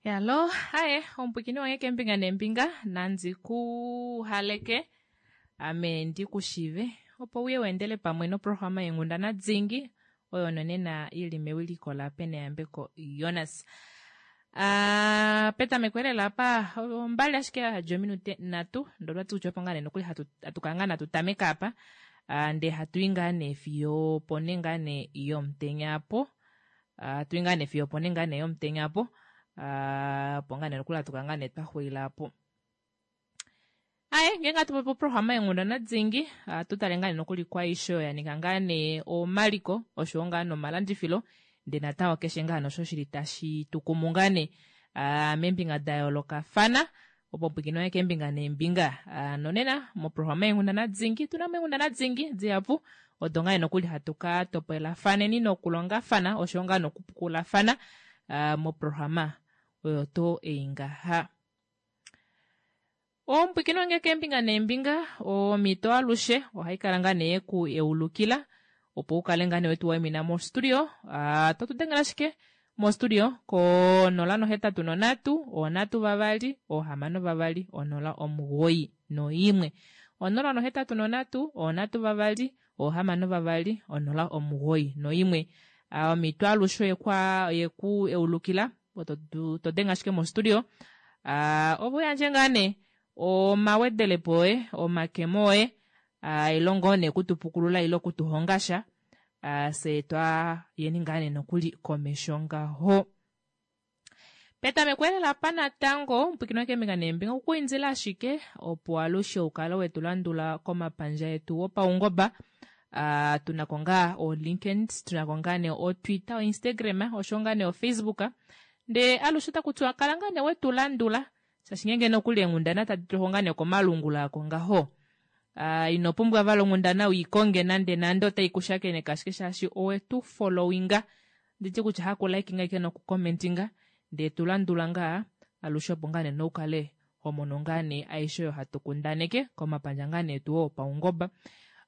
Yalo, aye, omupwikini wange kembinga nembinga, nandi ku haleke, ame ndi ku shive, opo uye weendele pamwe noprograma yenghundana dingi, oyo nonena ili mewiliko la Peneyambeko Jonas. Uh, petameko elela apa ombali ashike ya ominute nhatu ndoo twati kutya opo ngaa nee nokuli hatu hatu kala ngaa natu tameka apa uh, ndee hatu i ngaa nee fiyo opo nee ngaa nee yomutenya apo uh, hatu i ngaa nee fiyo opo nee ngaa nee yomutenya apo uh, opo ngaa nee nokuli hatu kala ngaa nee twa xulila apo. Aye, ngenge hatu popi oprograma yenghundana dingi, ohatu tale ngaa nee nokuli kwaishe oyo ya ninga ngaa nee omaliko oshowo ngaa nomalandifilo ndee natango keshe ngaa nosho shili tashi tu kumu ngaa nee ah, meembinga da yoolokafana opo pwikinwa keembinga neembinga. Ah, nonena moprograma yenghundana dingi tuna mo eenghundana dingi dihapu odo ngaa nee nokuli hatu ka topolafaneni nokulongafana oshowo ngaa nokupukulafana ah, moprograma oyo tuu ei ngaha. Omupwikini wange keembinga neembinga, omhito alushe ohai kala ngaa nee yeku yeulukila opo u kale ngaa nee wetu waimina mostudio. Ah, to tu dengele ashike mostudio ko 083 3 6 2 091. 083 3 6 2 091. Ah, omhito alushe oyekwa yeku eulukila to, to denge ashike mostudio. Ah, opo u yandje ngaa nee omawedelepo oye, omakemo oye, ah, ile ngoo nee okutupukulula ile okutuhonga sha, ah, fye twa yeni ngaa nee nokuli komesho ngaho. Petameko elela apa natango omupwikini keembinga neembinga okukuindila ashike opo alushe ukale wetu landula komapandja etu opaungoba. Uh, tunako ngaa o LinkedIn, tunako ngaa nee o Twitter, o Instagram, osho ngaa nee o Facebook. Ndee alushe otaku tiwa kala ngaa nee wetu landula shaashi ngeenge nokuli eenghundana tadi tulwa ngaa nee komalungula ako ngaho. Uh, ino pumbwa vali onghundana uikonge nande nande otai ku shakeneke ashike shaashi owetu followinga. Nditi kutya haku likinga ike noku commentinga ndee tu landula ngaa alushe opo ngaa nee noukale ho mono ngaa nee aishe oyo hatu kundaneke komapandja ngaa nee tu opaungoba.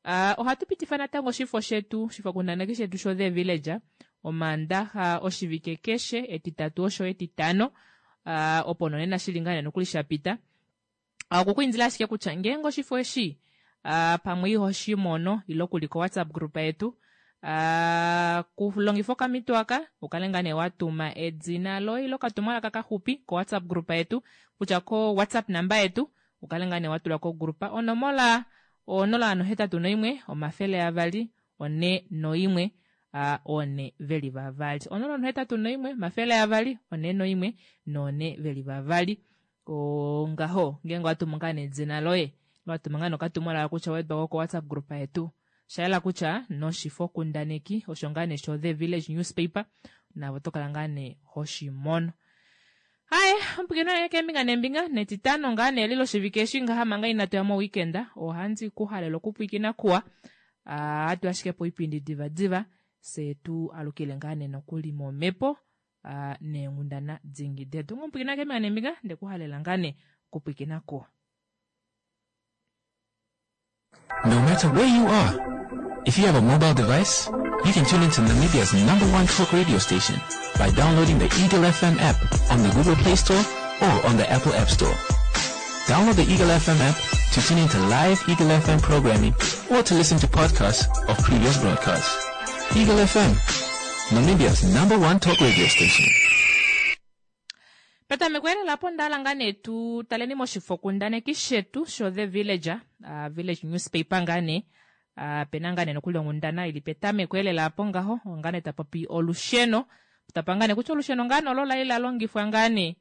Uh, ohatu pitifa natango oshifo shetu, oshifokundaneki shetu sho The Villager Omaandaxa oshivike keshe, Etitatu osho Etitano, uh, opo nonena shili ngaa nee nokuli sha pita. Uh, okukuindila ashike kutya ngeenge oshifo eshi uh, pamwe iho shi mono ile okuli ko WhatsApp group yetu, uh, kulongifa okamito aka ukale ngaa nee watuma edina loye ile okatumwalaka kaxupi ko WhatsApp group yetu kutya ko WhatsApp namba yetu ukale ngaa nee watula ko group onomola 081 200 41 4 veli vavali 081 200 41 4 veli vavali ongaho ngeenge watumu ngaa nee edina loye watuma ngaa nokatumwalaka kutya wedwa ko WhatsApp group yetu shayela kutya noshifo kundaneki osho ngaa nee sho The Village Newspaper navo oto kala ngaa nee hoshimono. Haye, omupwikini wange keembinga neembinga netitano ngaa nee lilo oshivike eshi ngaha manga inatu ya moweekend ohandi ku halele okupwikina kuwa. Ah, hatu ashike poipindi diva diva fye tu alukile ngaa nee nokuli momhepo ah, neenghundana dingi detu. Omupwikini wange keembinga neembinga nde ku halela ngaa nee okupwikina kuwa. No matter where you are, if you have a mobile device, you can tune into Namibia's number one talk radio station by downloading the Eagle FM app on the Google Play Store or on the Apple App Store. Download the Eagle FM app to tune into live Eagle FM programming or to listen to podcasts of previous broadcasts. Eagle FM, Namibia's number one talk radio station. Petameko elela apo onda hala ngaa nee tu taleni moshifokundaneki shetu sho The Villager, uh, Village Newspaper ngaa nee uh, pena ngaa nee nokuli onghundana ili petameko elela apo ngaho ngaa nee tapopi olusheno tapa ngaa nee kutya olusheno ngaa nee olo lali la longifwa ngaa nee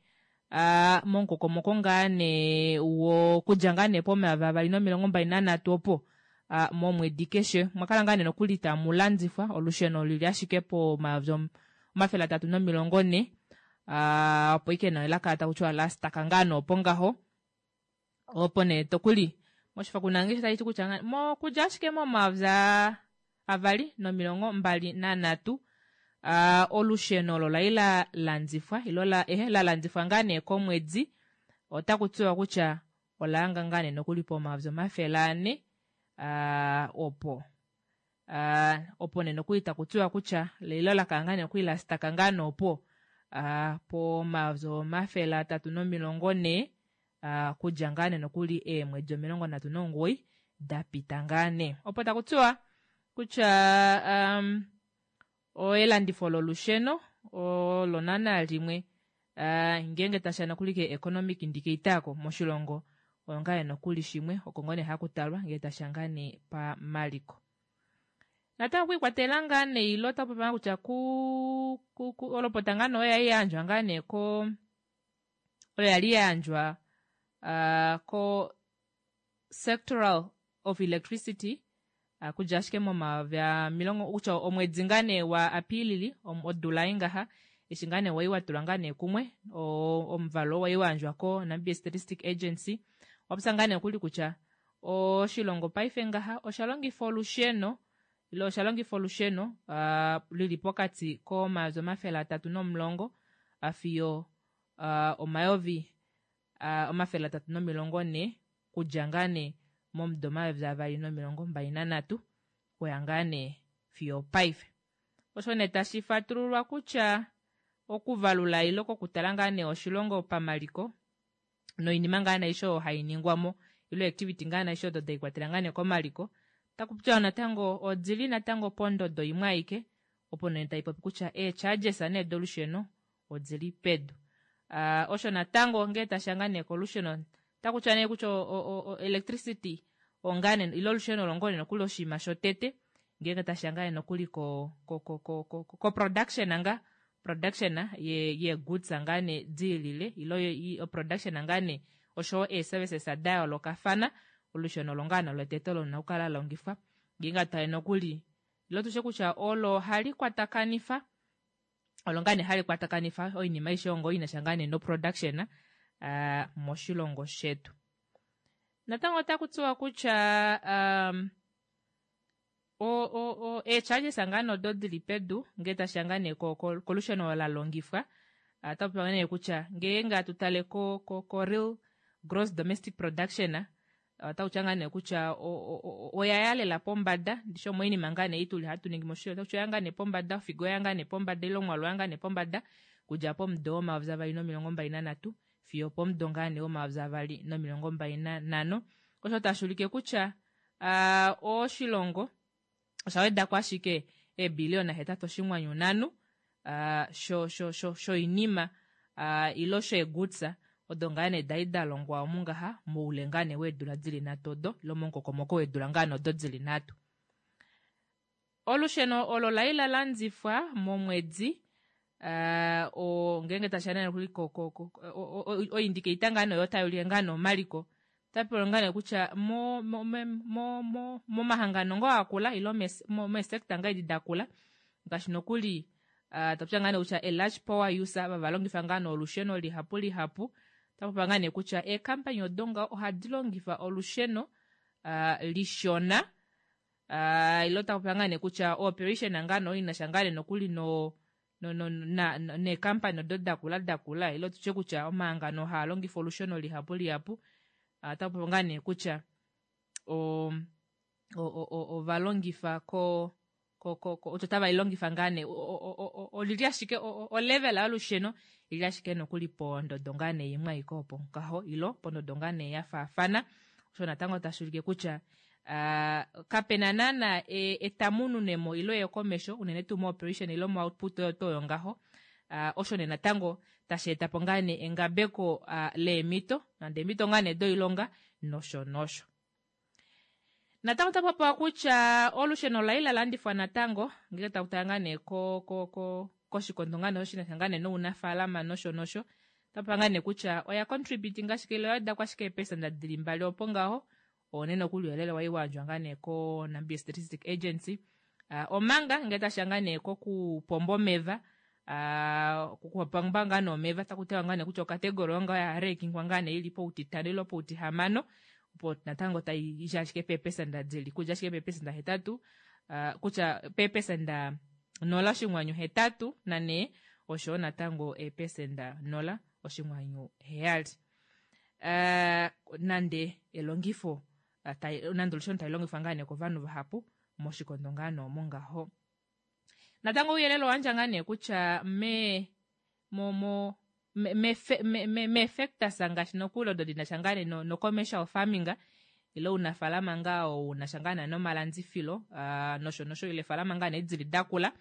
uh, momukokomoko ngaa nee wokudja ngaa nee pomayovi avali nomilongo mbali nanhatu opo uh, momwedi keshe omwa kala ngaa nee nokuli tamu landifwa olusheno lili ashike pomayovi 340 uh, opo ike nayo la kala taku tiwa la staka ngaa nee opo ngaho opo nee tokuli moshifokundaneki tashi ti kutya mokudja ashike momayovi avali nomilongo mbali nanhatu uh, olusheno olo lai la landifwa ilo la ehe la landifwa ngaa nee komwedi otaku tiwa kutya ola hanga ngaa nee nokuli pomayovi 400 uh, opo uh, opo nee nokuli taku tiwa kutya leilo la kala ngaa nee nokuli la staka ngaa nee opo. Pomayovi 340 okudja ngaa nee nokuli eemwedi 39 da pita ngaa nee. Opo taku tiwa kutya um, elandifo lolusheno olo naana limwe ngeenge tasha nokuli ke economic indicator ko moshilongo oyo ngaa nokuli shimwe oko ngoo nee haku talwa ngee tasha ngaa nee pamaliko. Natango okwiikwatelela ngaa nee ile otaku popiwa kutya ku, ku, ku olopota ngaa nee oyo yali yayandjwa ngaa nee ko oyo yali yayandjwa ko sectoral of electricity kudja ashike momayovi omilongo kutya omwedi ngaa nee wa Apiilili odula ei ngaha eshi ngaa nee wai watulwa ngaa nee kumwe omuvalo wai wayandjwa ko Namibia Statistic Agency wapopya ngaa nee okuli kutya oshilongo paife ngaha osha longifa olusheno ile osha longifa olusheno lili pokati komayovi 310 fiyo omayovi 340 kudja ngaa nee momudo 2023 kuya ngaa nee fiyo paife. Osho nee tashi fatululwa kutya okuvalula ile kokutala ngaa nee oshilongo pamaliko noinima ngaa nee aishe oyo hai ningwamo ile activity ngaa nee aishe odo daikwatela ngaa nee komaliko taku tiwa natango odili natango pondodo imwe aike opo nee taipopi kutya ee-charges nee dolusheno odili pedu. Osho natango ngee tasha ngaa nee kolusheno taku tiwa nee kutya electricity ongaa nee ile olusheno olo ngoo nee nokuli oshinima shotete ngeenge tasha ngaa nee nokuli ko ko ko ko ko ko production nga production ye ye goods ngaa nee diilile ile production ngaa nee oshowo ee services da yoolokafana olusheno olo ngaa nee lotete olo lina okukala la longifwa ngeenge atale nokuli ile tushe kutya olo hali kwatakanifa olo ngaa nee hali kwatakanifa oinima aishe ongo ina sha ngaa nee no production moshilongo shetu. Natango otaku tiwa kutya um, ee-charges ngaa nee odo dili pedu ngee tashiya ngaa nee kolusheno la longifwa otaku popiwa nee kutya ngeenge atu tale ko, ko, ko real gross domestic production otaku tiwa ngaa nee kutya oya ya lela pombada ndishi omoinima ngaa nee ituli hatu ningi moshilongo otaku tiwa oya ngaa nee pombada ofigo oya ngaa nee pombada ile omwaalu oya ngaa nee pombada kudja pomudo womayovi 2023 fiyo pomudo ngaa nee womayovi 2025 osho tashi ulike kutya oshilongo osha wedako ashike eebiliyona 8.5 sho sho sho shoinima ile sheegoods odo ngaa nee dali da longwa omu ngaha moule ngaa nee weedula dili nhatu odo ile momukokomoko weedula ngaa nee odo dili nhatu. Olusheno olo lai la landifwa momwedi ngeenge tashiya nee nokuli oindikeita ngaa nee oyo tai ulike ngaa nee omaliko otapewa ngaa nee kutya momahangano ngoo akula ile meesector ngaa edi dakula ngaashi nokuli tapopya ngaa nee kutya a large power user ava valongifa ngaa nee olusheno lihapu lihapu otapopiwa ngaa nee kutya eekampani odo ngaho ohadi longifa olusheno lishona ile otapopiwa ngaa nee kutya ooperation ngaa nee oinasha ngaa nee nokuli no neekampani odo dakula dakula ile tutye kutya omahangano haa longifa olusheno lihapu lihapu otapopiwa ngaa nee kutya ovalongifa ko otava longifa ngaa nee olili ashike olevel yolusheno ili ashike nokuli pondodo ngaa nee imwe aike opo ngaho ilo pondodo ngaa nee ya faafana osho natango tashi ulike kutya kapena naana etamununemo ile eyokomesho unene tuu mo-operation ile mo-output oyo tuu oyo ngaho osho nee natango tashi etapo ngaa nee engabeko leemito nande eemito ngaa nee doilonga nosho nosho. Natango otaku popiwa kutya olusheno ola li la landifwa natango ngenge taku tala ngaa nee ko ko ko koshikondo ngaa nee shinasha ngaa nee nounafaalama nosho nosho otaku popiwa ngaa nee kutya oya contribute ngashike ile oya wedako ashike eepesenda dili mbali opo ngaho one nokuli ouyelele wai wayandjwa ngaa nee ko Namibia Statistic Agency omanga ngele tashiya ngaa nee kokupomba omeva okupomba ngaa nee omeva taku tiwa ngaa nee kutya okategori oyo ngaho ya reekingwa ngaa nee ili poutitano ile poutihamano opo natango tai i ashike peepesenda dili kudja ashike peepesenda 8 kutya peepesenda 0.84 oshoyo natango eepesenda 0.7 nande elongifo nande olusheno tali longifwa ngaa nee kovanhu vahapu moshikondo ngaa nee omo ngaho. Natango ouyelele owandja ngaa nee kutya me mo mo meefectors ngaashi nokuli odo di na sha ngaa nee no-commercial farming ile ounafaalama ngaa oo u na sha ngaa nee nomalandifilo nosho nosho ile efaalama ngaa nee dili dakula.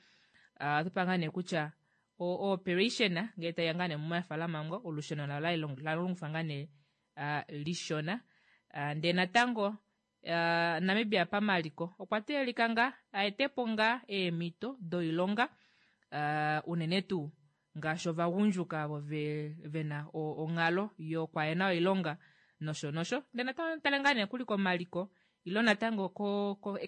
Ohatu pa ngaa nee kutya o-operation ngee taiya ngaa nee momafaalama ngo olusheno la longifwa ngaa nee lishona. Ndee natango Namibia pamaliko okwa teelelika ngaa aetepo ngaa eemhito doilonga unene tuu ngaashi ovagundjuka avo vena onghalo yokwahena oilonga nosho nosho. Ndee natango tale ngaa nee kuli komaliko ile natango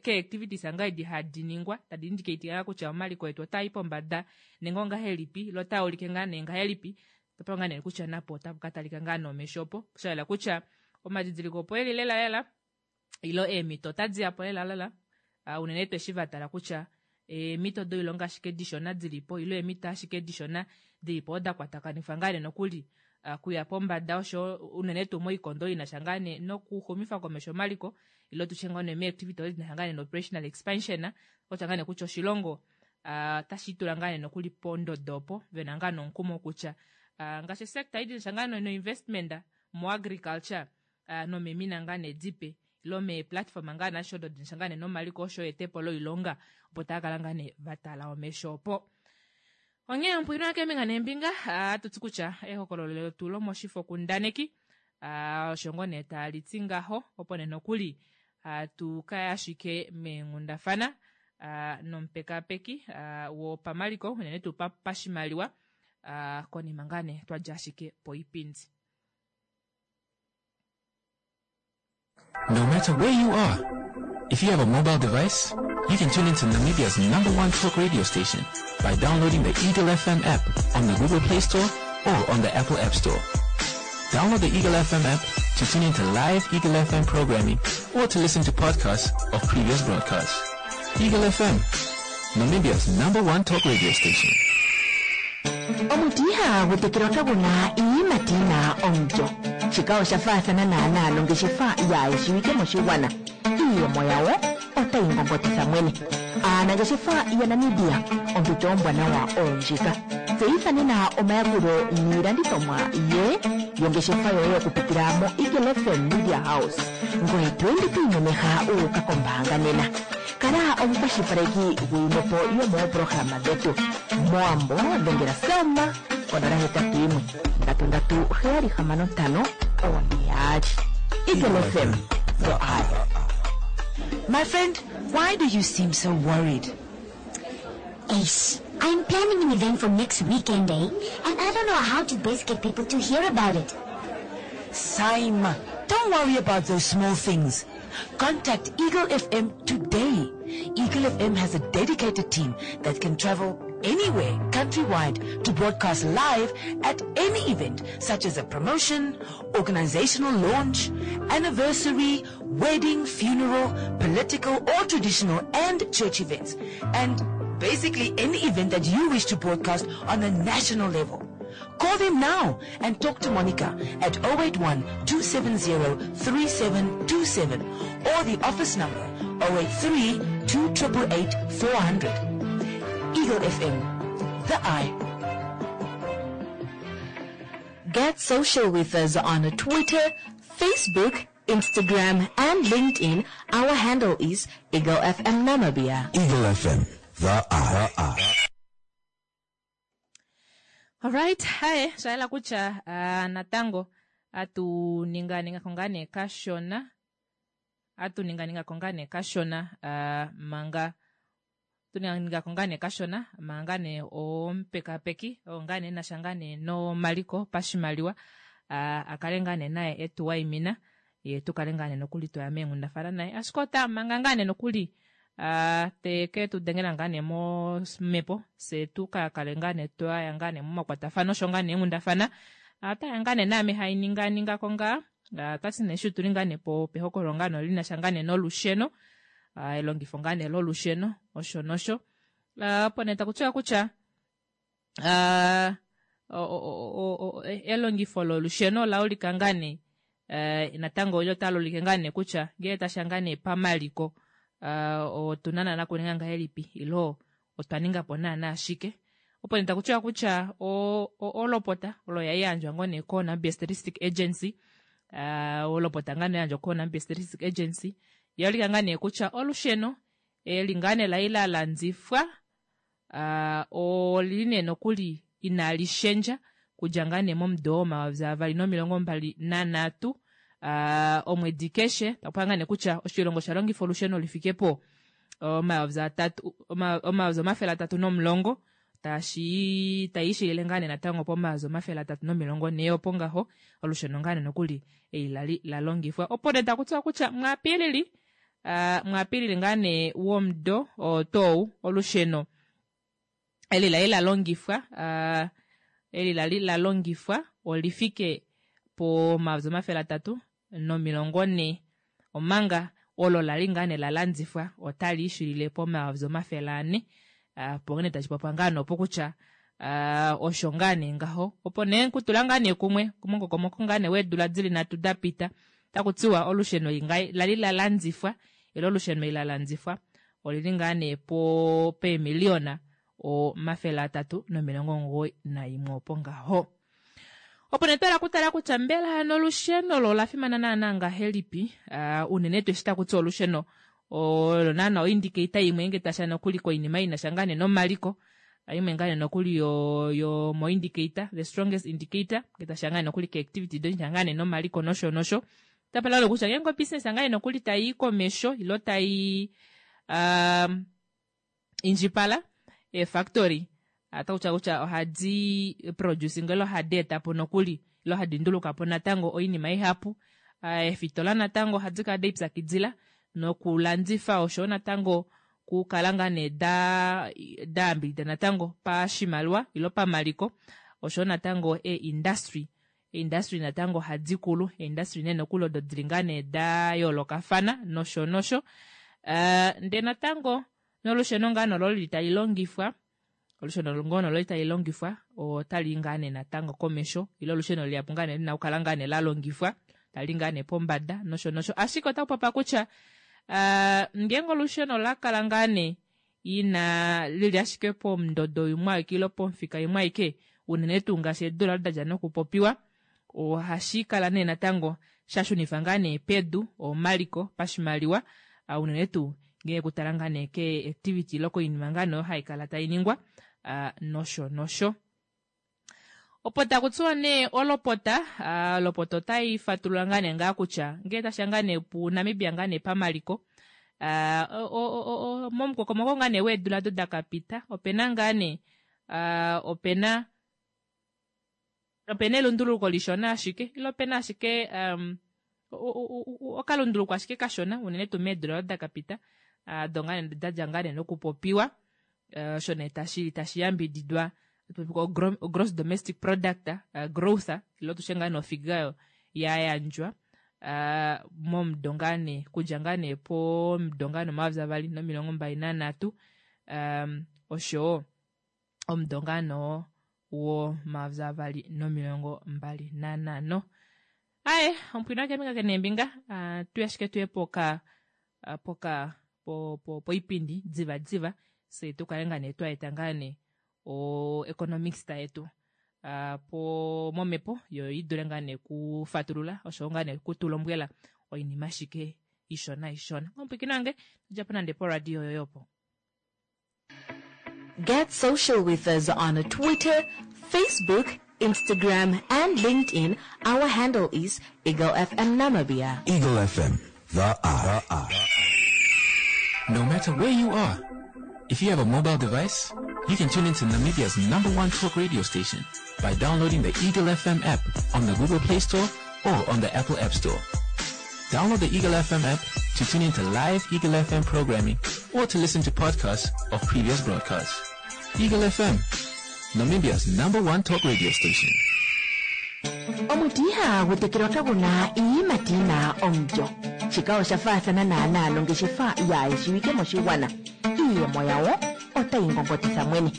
kee-activities ngaa edi hadi ningwa tadi indicate ngaa kutya omaliko etu otaa i pombada nenge ongahelipi ile otaa ulike ngaa nee ngahelipi. Otwa ngaa nee kutya napo otapu ka talika ngaa nomesho opo sha yela kutya omadidiliko opo eli lela lela ile eemhito otadi ya po lela lela unene tuu eshi va tala kutya eemhito doilonga ashike dishona dili po ile eemhito ashike dishona dili po oda kwatakanifwa ngaa nee nokuli kuya pombada osho unene tuu moikondo ina sha ngaa nee nokuxumifa komesho omaliko ile tutye ngoo nee meactivity odo dina sha ngaa nee no-operational expansion otya ngaa nee kutya oshilongo otashi tula ngaa nee nokuli pondodo opo vena ngaa nomukumo kutya ngaashi sector idina sha ngaa no-investment mo-agriculture nomemina ngaa nee dipe ile meeplatform ngaa nasho odo dina sha ngaa nee nomaliko osho etepo loilonga opo tava kala ngaa nee va tala omesho opo. Onghee omupwiino wakeembinga neembinga ohatu ti kutya ehokololo letu lomoshifo kundaneki osho ngoo nee tali ti ngaho opo nee nokuli hatu kaya ashike meenghundafana nomupekapeki wopamaliko unene tuu pashimaliwa konima ngaa nee twadja ashike poipindi. No matter where you are, if you have a mobile device, you can tune into Namibia's number one talk radio station by downloading the Eagle FM app on the Google Play Store or on the Apple App Store. Download the Eagle FM app to tune into live Eagle FM programming or to listen to podcasts of previous broadcasts. Eagle FM, Namibia's number one talk radio station. Omuti ihagu tekelwa kagu na iiyimati yi na omulyo. Shika osha faathana naanaa nongeshefa yaa shiwike moshigwana. Iiyemo yawo otayi ngongotitha mwene. Aanangeshefa yaNamibia, ompito ombwanawa oyo ndjika. Tseyitha nena omayakulo niilandithomwa ye yongeshefa yoye okupitila moEagle FM Media House. Ngoye to ende to imemeha wu uka kombaanga nena. Kala omukwashilipaleki gwiimwepo yomoopolohalama dhetu. Mowambo dhengela Selma ko 081 337 65 42. Eagle FM, the eye. My friend, why do you seem so worried? Ace, I'm planning an event for next weekend, eh? And I don't know how to best get people to hear about it. Saima, don't worry about those small things. Contact Eagle FM today. Eagle FM has a dedicated team that can travel anywhere countrywide to broadcast live at any event such as a promotion, organizational launch, anniversary, wedding, funeral, political or traditional and church events. And basically any event that you wish to broadcast on a national level. Call them now and talk to Monica at 081-270-3727 or the office number 083-2888-400. Eagle FM, the eye. Get social with us on Twitter, Facebook, Instagram, and LinkedIn. Our handle is Eagle FM Namibia. Eagle FM, the eye. Alright, haye shayela kutya natango atu ninga ninga ko ngaa nee kashona atu ninga ninga ko ngaa nee kashona manga tu ninga ko ngaa nee kashona manga nee omupekapeki oo ngaa nee nasha ngaa nee nomaliko pashimaliwa a kale ngaa nee naye etu waimina ye tu kale ngaa nee nokuli twaya meenghundafana naye ashike ota manga ngaa nee nokuli te ke tu dengela ngaa nee momhepo se tu ka kale ngaa nee twaya ngaa nee momakwatafano osho ngaa nee eenghundafana otaya ngaa nee naame hai ninga ninga ko ngaa otati nee shi tuli ngaa nee po pehokololo ngaa nee lina sha ngaa nee nolusheno elongifo ngaa nee lolusheno osho nosho opo nee taku tiwa kutya elongifo lolusheno ola ulika ngaa nee natango olyo otali ulike ngaa nee kutya ngele tasha ngaa nee pamaliko otuna naana kuninga ngahelipi ilo otwa ninga po naana ashike. Opo nee takutiwa kutya olopota olo ya yandjwa ngoo nee koNamibia Statistic Agency, olopota ngaa nee yandjwa koNamibia Statistic Agency yaulika ngaa nee kutya olusheno eli ngaa nee lai la landifwa olili nee nokuli inali shendja kudja ngaa nee momudo wo 2023 omwedi keshe. Takupa ngaa nee kutya oshilongo osha longifa olusheno lifike po 310,000, tashi taishilile ngaa nee natango po 340,000 opo ngaho olusheno ngaa nee nokuli eli lali la longifwa. Opo nee takutiwa kutya muApilili, muApilili ngaa nee womudo tou, olusheno eli lali la longifwa, eli lali la longifwa olifike po 340,000, omanga olo lali ngaa nee la landifwa otali ishilile po 400,000. Opo nee tashi popiwa ngaa nee opo kutya osho ngaa nee ngaho. Opo nee kutula ngaa nee kumwe momukokomoko ngaa nee weedula dili 3 da pita, takutiwa olusheno lali la landifwa ile olusheno la landifwa olili ngaa nee po peemiliona 391 opo ngaho. Opo nee twala kutala kutya mbela hano olusheno lo ola fimana naana ngahelipi, unene tuu eshi takutiwa olusheno olo naana oindicate imwe nge tasha nokuli koinima ina sha ngaa nee nomaliko, imwe ngaa nee nokuli yo mo indicator, the strongest indicator nge tasha ngaa nokuli ke activity do sha ngaa nee nomaliko nosho nosho. Tapala kutya ngeenge obusiness ngaa nee nokuli tayi komesho ilo tayi indjipala, eefactory atakutya kutya ohadi producing ilo hadi etapo nokuli ilo hadi ndulukapo natango oinima ihapu. Eefitola natango ohadi kala daipyakidila nokulandifa osho natango kukala ngaa nee da yambidida natango pashimaliwa ilo pamaliko, osho natango e-industry, industry natango ohadi kulu, industry nee nokuli odo dili ngaa nee da yoolokafana nosho nosho. Ndee natango nolusheno ngaa nolo lili tali longifwa, olusheno ngoo nolo tali longifwa otali ngaa nee natango komesho, ile olusheno lihapu ngaa nee lina okukala ngaa nee la longifwa tali ngaa nee pombada nosho nosho. Ashike otaku popiwa kutya ngeenge olusheno la kala ngaa nee ina lili ashike pomundodo imwe aike ile pomufika imwe aike, unene tuu ngaashi eedula odo dadja nokupopiwa, ohashi kala nee natango sha shunifa ngaa nee pedu omaliko pashimaliwa, unene tuu ngee kutala ngaa nee ke activity ile koinima ngaa nee oyo hai kala tai ningwa nosho nosho. Opo takutiwa nee olopota, olopota otai fatulula ngaa nee ngaa kutya ngee tasha ngaa nee pu Namibia ngaa nee pamaliko, momukokomoko ngaa nee weedula odo da kapita, opena ngaa nee opena elunduluko lishona ashike ile opena ashike okalunduluko ashike kashona unene tuu meedula odo da kapita, do ngaa nee dadja ngaa nee nokupopiwa, osho nee tashi yambididwa gross domestic product growth ilo tushe ngaa nee ofiga ya yandjwa momudo ngaa nee kudja ngaa nee pomudo ngaa nee 2023, oshowo omudo ngaa nee wo 2025. Aye, omupwina keembinga keneembinga, tuye ashike tuye poka poka poipindi diva diva, se tukale ngaa nee twaeta ngaa nee o economics yetu po momepo yo idule ngaa nee kufatulula osho ngaa nee kutulombwela oinima ashike ishona ishona. Omupwikina wange djapo nande po radio yoyopo. Get social with us on Twitter, Facebook, Instagram, and LinkedIn. Our handle is Eagle FM Namibia. Eagle FM, the eye. No matter where you are, if you have a mobile device, you can tune into Namibia's #1 talk radio station by downloading the Eagle FM app on the Google Play Store or on the Apple App Store. Download the Eagle FM app to tune into live Eagle FM programming or to listen to podcasts of previous broadcasts. Eagle FM, Namibia's #1 talk radio station. Omuti ihagu tekelwa kaguna iiyimati yina omulyo. Shika osha faathana naanaa nongeshefa yaayeshiwike moshigwana. Iiyemo yawo otayi ngongotitha mwene.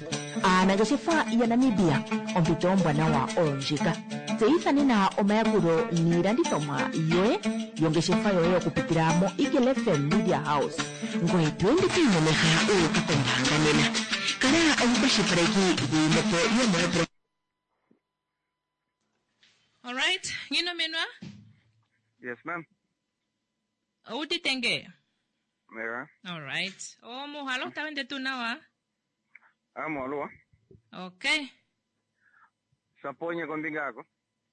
Aanangeshefa yaNamibia, ompito ombwanawa oyo ndjika. Tseyitha nena omayakulo niilandithomwa yoye yongeshefa yoye okupitila mo Eagle FM Media House. Ngoye to ende to imemeha u uka kombaanga nena. Kala omukwashipaleki gwiinepo yomoopro Alright, Nginomenwa, Yes, ma'am. Oudite nge? Yeah. Alright. Omuhalo tau ende tuu nawa? Amoluwa. Okay. Saponye kombinga yako.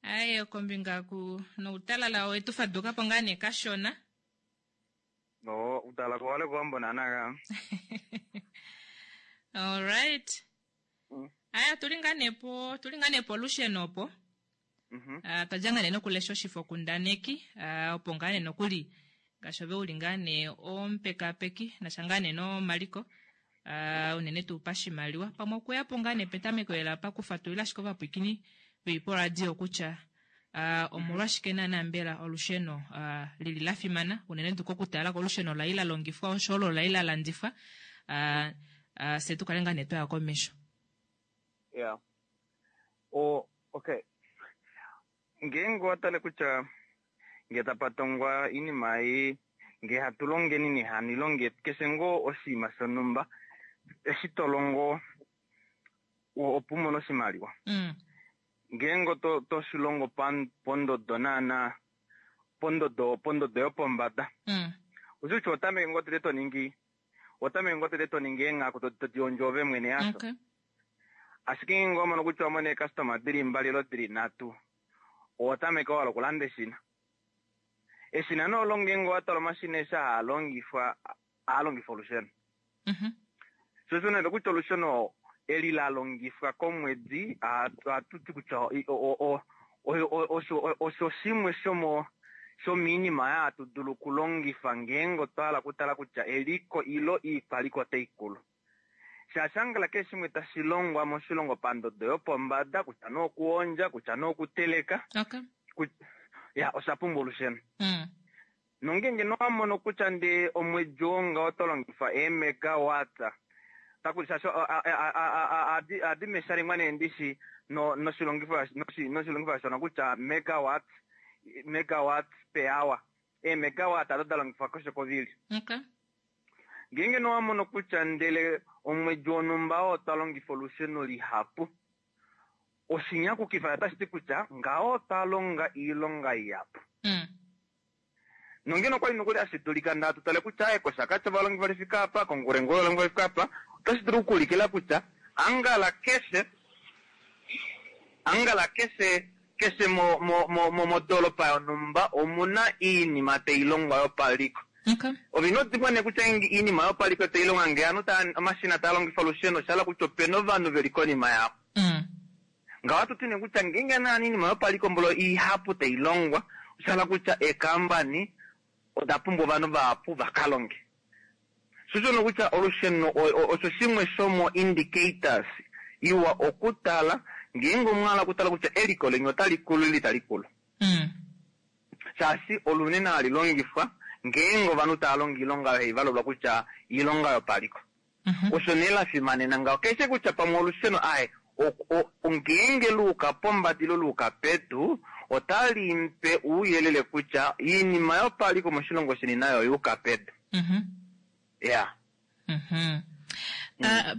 Aye, kombinga ku noutalala wetu faduka po ngaa nee kashona. No, utala ko wale kuambo nanaga. Alright. Aya, tuli ngaa nee po, tuli ngaa nee polusheno opo. Ah, twadja ngaa nee nokulesha oshifokundaneki ah, opo ngaa nee nokuli ngaashi ove uli ngaa nee omupekapeki nasha ngaa nee nomaliko ah, unene tuu pashimaliwa pamwe okuya po ngaa nee petameko lela pakufatulila ashike ovapwiikini veli poradio kutya ah, omolwashike naana mbela olusheno ah, lili la fimana unene tuu kokutala kolusheno lai la longifwa osho olo lai la landifwa ah, ah, fye tu kale ngaa nee twaya komesho. Yeah. O, okay. Ngeenge owa tale kutya ngee tapa tongwa iinima ei, ngee hatu longeni nehani longe keshe ngoo oshinima shonhumba eshi to longo opo u mone oshimaliwa. Ngeenge oto to shi longo pondodo naana pondodo pondodo yopombada. Oshi kutya oho tameke ngoo tete to ningi oho tameke ngoo tete to ningi eenghaku to di hondjo ove mwene hasho? Ashike ngeenge owa mono kutya owa mona eekastoma dili mbali ile dili nhatu, oho tameke owala okulanda eshina. Eshina nee olo ngeenge owa tala omashina eshi haa longifwa, ohaa longifa olusheno. Sho osho nee kutya olusheno eli la longifwa komwedi, ohatu ti kutya osho shimwe shomo shomiinima oyo hatu dulu okulongifa ngeenge otwa hala okutala kutya eliko ilo iikwaliko otai kulu. Shaashi angala keshe shimwe tashi longwa moshilongo pandodo yopombada, kutya nee okuhondja, kutya nee okuteleka, ya osha pumbwa olusheno. Nongeenge nee owa mono kutya ndee omwedi oo ngaho oto longifa eemegawatts, taku shaashi ohadi meshalengwa nee ndishi noshilongifo noshilongifo shono kutya megawatts, megawatts per hour. Eemegawatts odo da longifwa keshe kovili. Ngeenge nee owa mono kutya ndele omwedi wonhumba oo otwa longifa olusheno lihapu, oshinyakukifa otashi ti kutya ngaho otwa longa iilonga ihapu. Nongeno okwali nokuli hashi dulika nda tu tale kutya aye kOshakati ovalongi vali fika apa, kOnkurenkure ovalongi vali fika apa, otashi dulu okuulikila kutya angala keshe angala keshe keshe mo mo mo mo modoolopa yonhumba omuna iinima tai longwa yopaliko. Ove ino dimbwa nee kutya iinima yopaliko tai longwa ngee ovanhu tava omashina taa longifa olusheno osha hala kutya opena ovanhu veli konima yao. Ngaho ohatu ti nee kutya ngeenge naana iinima yopaliko mbolo ihapu tai longwa, osha hala kutya eekaambani oda pumbwa ovanhu vahapu va ka longe. Sho osho nee kutya olusheno osho shimwe shomo indicators iwa okutala ngeenge omwa hala okutala kutya eliko leni otali kulu ile itali kulu. Shaashi olunene hali longifwa ngeenge ovanhu tava longo oilonga oyo hai valulwa kutya oilonga yopaliko. Osho nee la fimanena ngaho. Keshe kutya pamwe olusheno aye ngeenge lu uka pombada ile lu uka pedu, otali mpe ouyelele kutya oinima yopaliko moshilongo sheni nayo oya uka pedu. Ya.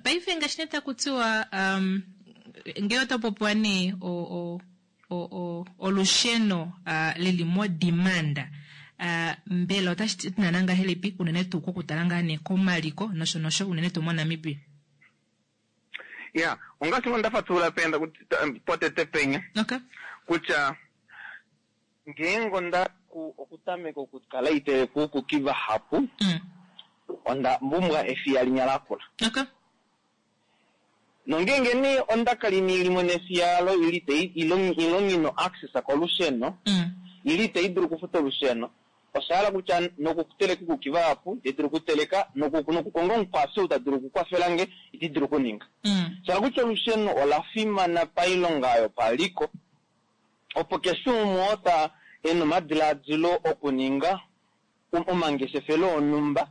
Paife ngaashi nee taku tiwa ngee ota popiwa nee olusheno lili mo demand, mbela otashi ti naana ngahelipi unene tuu kokutala ngaa nee komaliko nosho nosho unene tuu moNamibia? Ya, ongaashi ngoo nda fatulula penda potete penya kutya ngeenge onda okutameka okukala iteleka uukuki vahapu, onda pumbwa efiya linya lakula. Nongeenge nee onda kala inii limona efiya olo ili tai ilo nghi access kolusheno, ili itai dulu okufuta olusheno, osha hala kutya nokuteleka uukuki vahapu itandi dulu okuteleka, nokukonga omukwafi ou ta dulu okukwafela nge itandi dulu okuninga. Sha hala kutya olusheno ola fimana pailonga yopaliko, opo keshe umwe oo ta e na omadilaadilo okuninga omangeshefelo onhumba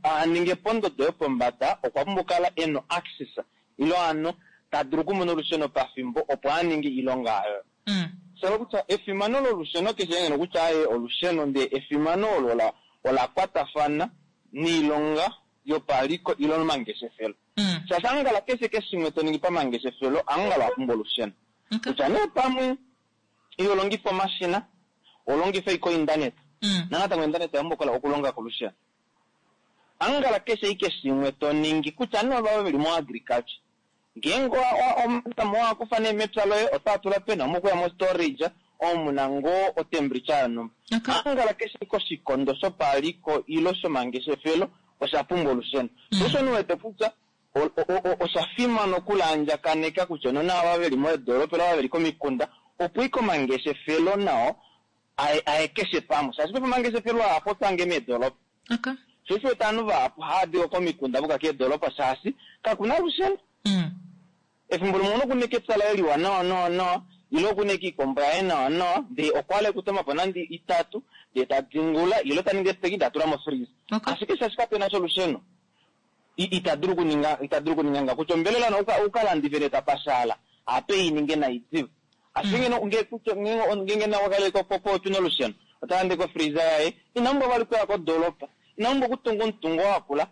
a ninge pondodo yopombada okwa pumbwa okukala e na oaccess ile hano ta dulu okumona olusheno pafimbo opo a ninge oilonga oyo. Sha hala kutya efimano lolusheno keshe ngeno kutya aaye olusheno ndee efimano olo ola kwatafana noilonga yopaliko ile omangeshefelo. Shaashi angala keshe keshimwe to ningi pamangeshefelo, angala owa pumbwa olusheno. Kutya nee pamwe iho longifa omashina, oho longifa ashike oindaneta. Nanatango oindaneta oya pumbwa okulonga kolusheno. Angala keshe ashike shimwe to ningi, kutya nee ovava veli mo agriculture. Ngeenge omatama owa kufa nee mepya loye otaa tula peni, omu okuya mo storage omo muna ngoo o temperature yonhumba. Angala keshe ashike oshikondo shopaliko ilo shomangeshefelo osha pumbwa olusheno. Sho osho ndi wete kutya osha fimana okulaandjakaneka kutya nona ava veli meedoropa ile ava veli komikunda opo ike omangeshefelo nao aye keshe pamwe. Shaashi paife omangeshefelo ahapu otwaange meedoropa. Sho osho wete ovanhu vahapu hava di komikunda voka keedoropa shaashi kakuna olusheno. Efimbo limwe omunhu okuna eke epya laye liwa nawa nawa nawa ile okuna eke iikombo yaye nawa nawa ndee okwa hala ekutoma po nande itatu ndee ta dingula ile ta ningi esteki ndee atula mo freezer. Ashike shaashi kapena sha olusheno ita dulu okuninga ita dulu okuninga ngaho kutya ombelela ukalandife ndee tapashaala ape ininge nai diva. Ashike ngeno nge kutya ngeenge nawa kale popi nolusheno ota lande ko freezer yaye ina pumbwa vali okuya kodoropa, ina pumbwa okutunga omutungo wakula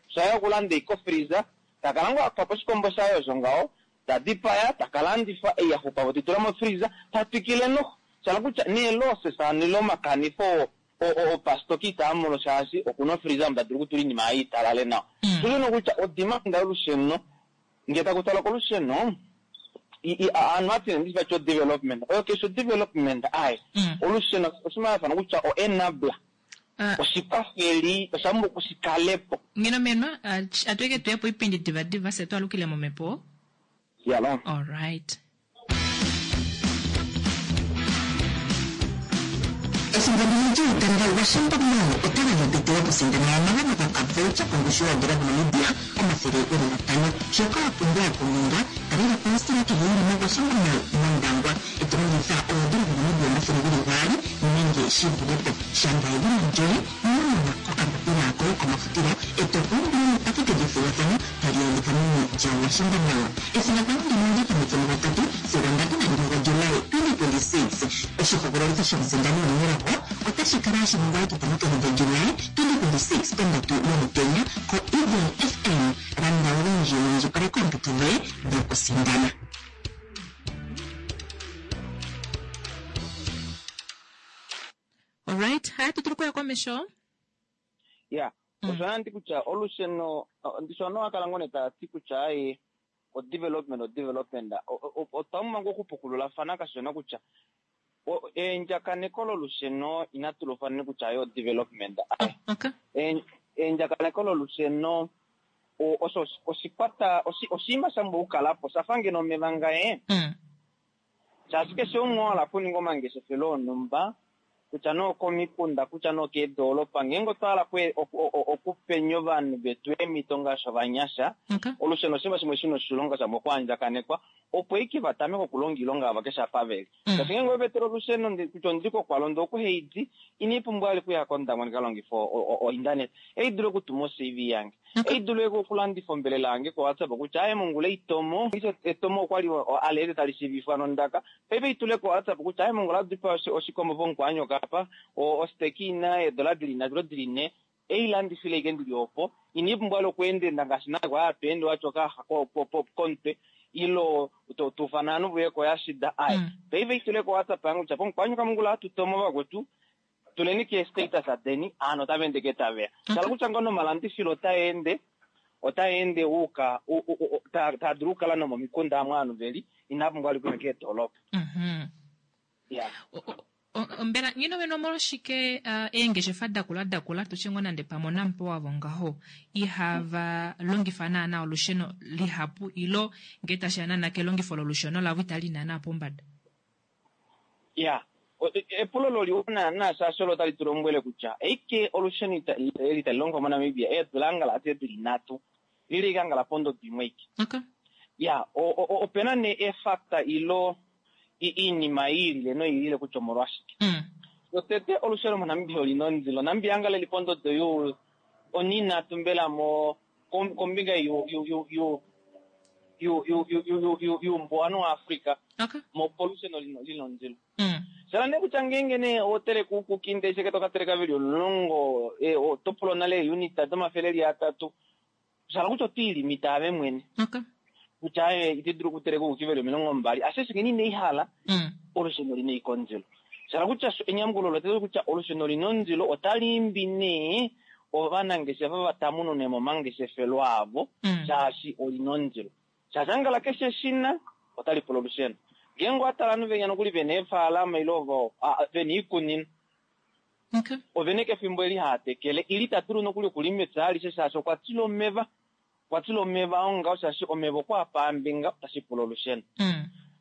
shaye okulanda iko freezer takala ngoo akufa po oshikombo shaye osho ngaho ta dipaya taka landifa ei yaxupapo teitula mo freezer tatwikile noho. Shala kutya nee losses hano ile omakanifo opastoka itaa mono shaashi okuna ofreezer omo ta dulu okutula oinima yaye italale nawa. Sho osho kutya odimanda yolusheno ngee taku talwa kolusheno ovanhu ohati nee ndishi vati o development oyo keshe o development aye olusheno oshinima shafana kutya o enabler oshikwafeli osha pumbwa okushikalepo. Ngeno menwa atuike tuye poipindi diva diva fye twalukile momhepo. Yalo. Alright. Efimbo ndino lyuutendo Washington Mall ota gandja ompito yokusindana omagano gokavoucher kongushu yoodola dhaNamibia 500. Shoka wa pumbwa okuninga, talela po ositola kehe yi li moWashington Mall mOndangwa e to longitha oodola dhaNamibia 200 nenge shi vule po. Shanga edhina lyoye nonomola kokambapila koye komafutilo e to pumbwa epakete lyethigathano tali adhika meni lyaWashington Mall. Ethigathano ndino olya tameke mugatatu sigo 31 gaJuly 2026. Oshihogololitho shomusindani omunelago otashi kala hashi ningwa etitano kehe lyaJuly 2026 pondatu yomutenya koEagle FM. Landa olundji wu indjipaleke oompito dhoye dhokusindana. Alright, haya tu dulu okuya komesho. Ya, osho handi kutya olusheno ndishi ovanhu ohava kala ngoo nee tava ti kutya aaye o development o development otwa pumbwa ngoo okupukululafana kashona kutya eendjakaneko lolusheno inatu lufaneni kutya aye o development aye. Eendjakaneko lolusheno osho oshikwata oshinima sha pumbwa okukalapo shafa ngeno omeva ngaye. Shaashi keshe umwe wa hala okuninga omangeshefelo onhumba, kutya nee okomikunda, kutya nee okeedoolopa, ngeenge otwa hala okupenya ovanhu vetu eemhito ngaashi ovanyasha, olusheno oshinima shimwe shina oshilonga sha pumbwa okuandjakanekwa, opo ashike va tameke okulonga oilonga yavo keshe apa veli. Shaashi ngeenge owe va etele olusheno kutya ondi kOkwalondo okuHeidi, inai pumbwa vali okuya kOndangwa ndi ka longife ointaneta. Ei dulu okutuma o-CV yange. Ei dulu okulandifa ombelela yange koWhatsApp kutya aaye mongula eitomo. Etomo okwali aleete tali shiivifwa nondaka. Paife ei tule koWhatsApp kutya aaye mongula odipa oshikombo pomukwaanyoka apa, osteki ina eedola dili nhatu ile dili nhe. Ei landifile ashike ndili opo. Inai pumbwa vali okuendaenda ngaashi nale kwali hatu ende wati okayaxa komutwe ile to ufana ovanhu voye koyashida. Aaye paife ei tule koWhatsApp yange kutya pomukwaanyoka mongula ohatu tomo vakwetu. Tuleni kee status deni, aanhu otava ende ke taveya. Shala kutya ngoo nomalandifilo otaa ende, otaa ende uuka, taa dulu okukala nomomikunda amu ovanhu veli, inaa pumbwa vali okuya keedolopa. Ya. Mbela ngeno wene omolwashike eengeshefa dakula dakula, tutye ngoo nande pamwe oNampower wavo ngaho, ihava longifa naana olusheno lihapu ilo ngee tashiya naana kelongifo lolusheno lavo itali naana pombada? Ya, epulo loli naana shaashi olo tali tu lombwele kutya eike olusheno eli tali longifwa moNamibia eedula angala adishe dili nhatu lili ike angala pondodo imwe ike. Ya, opena nee eefactor ilo iinima yiilile noyiilile kutya omolwashike. Shotete olusheno moNamibia olina ondilo. Namibia angala eli pondodo you oninhatu mbela mo kombinga yuumbuwanhu waAfrica molusheno lina ondilo. Shala nee kutya ngeenge nee oho teleke uukuki ndee sheke toka teleka veli omulongo, oto pulwa nale eeunit domafele eli atatu. Shala kutya otwiilimita ave mwene. Kutya aye ite dulu okuteleka ouki veli 20, ashike ngeno ine ihala, olusheno olina ashike ondilo. Shala kutya enyamukulo olo otali kutya olusheno olina ondilo otali imbi nee ovanangeshefa va tamunune mo omangeshefelo avo, shaashi olina ondilo. Shaashi angala keshe eshina otali pula olusheno. Ngeenge owa tala ovanhu venya nokuli vena eefaalama ile ovo vena oikunino, ovena eke efimbo eli haa tekele ile ita dulu nokuli okulima epya alishe shaashi okwa tila omeva. Okwa tila omeva ongaho shaashi omeva okwa paambinga otashi pula olusheno.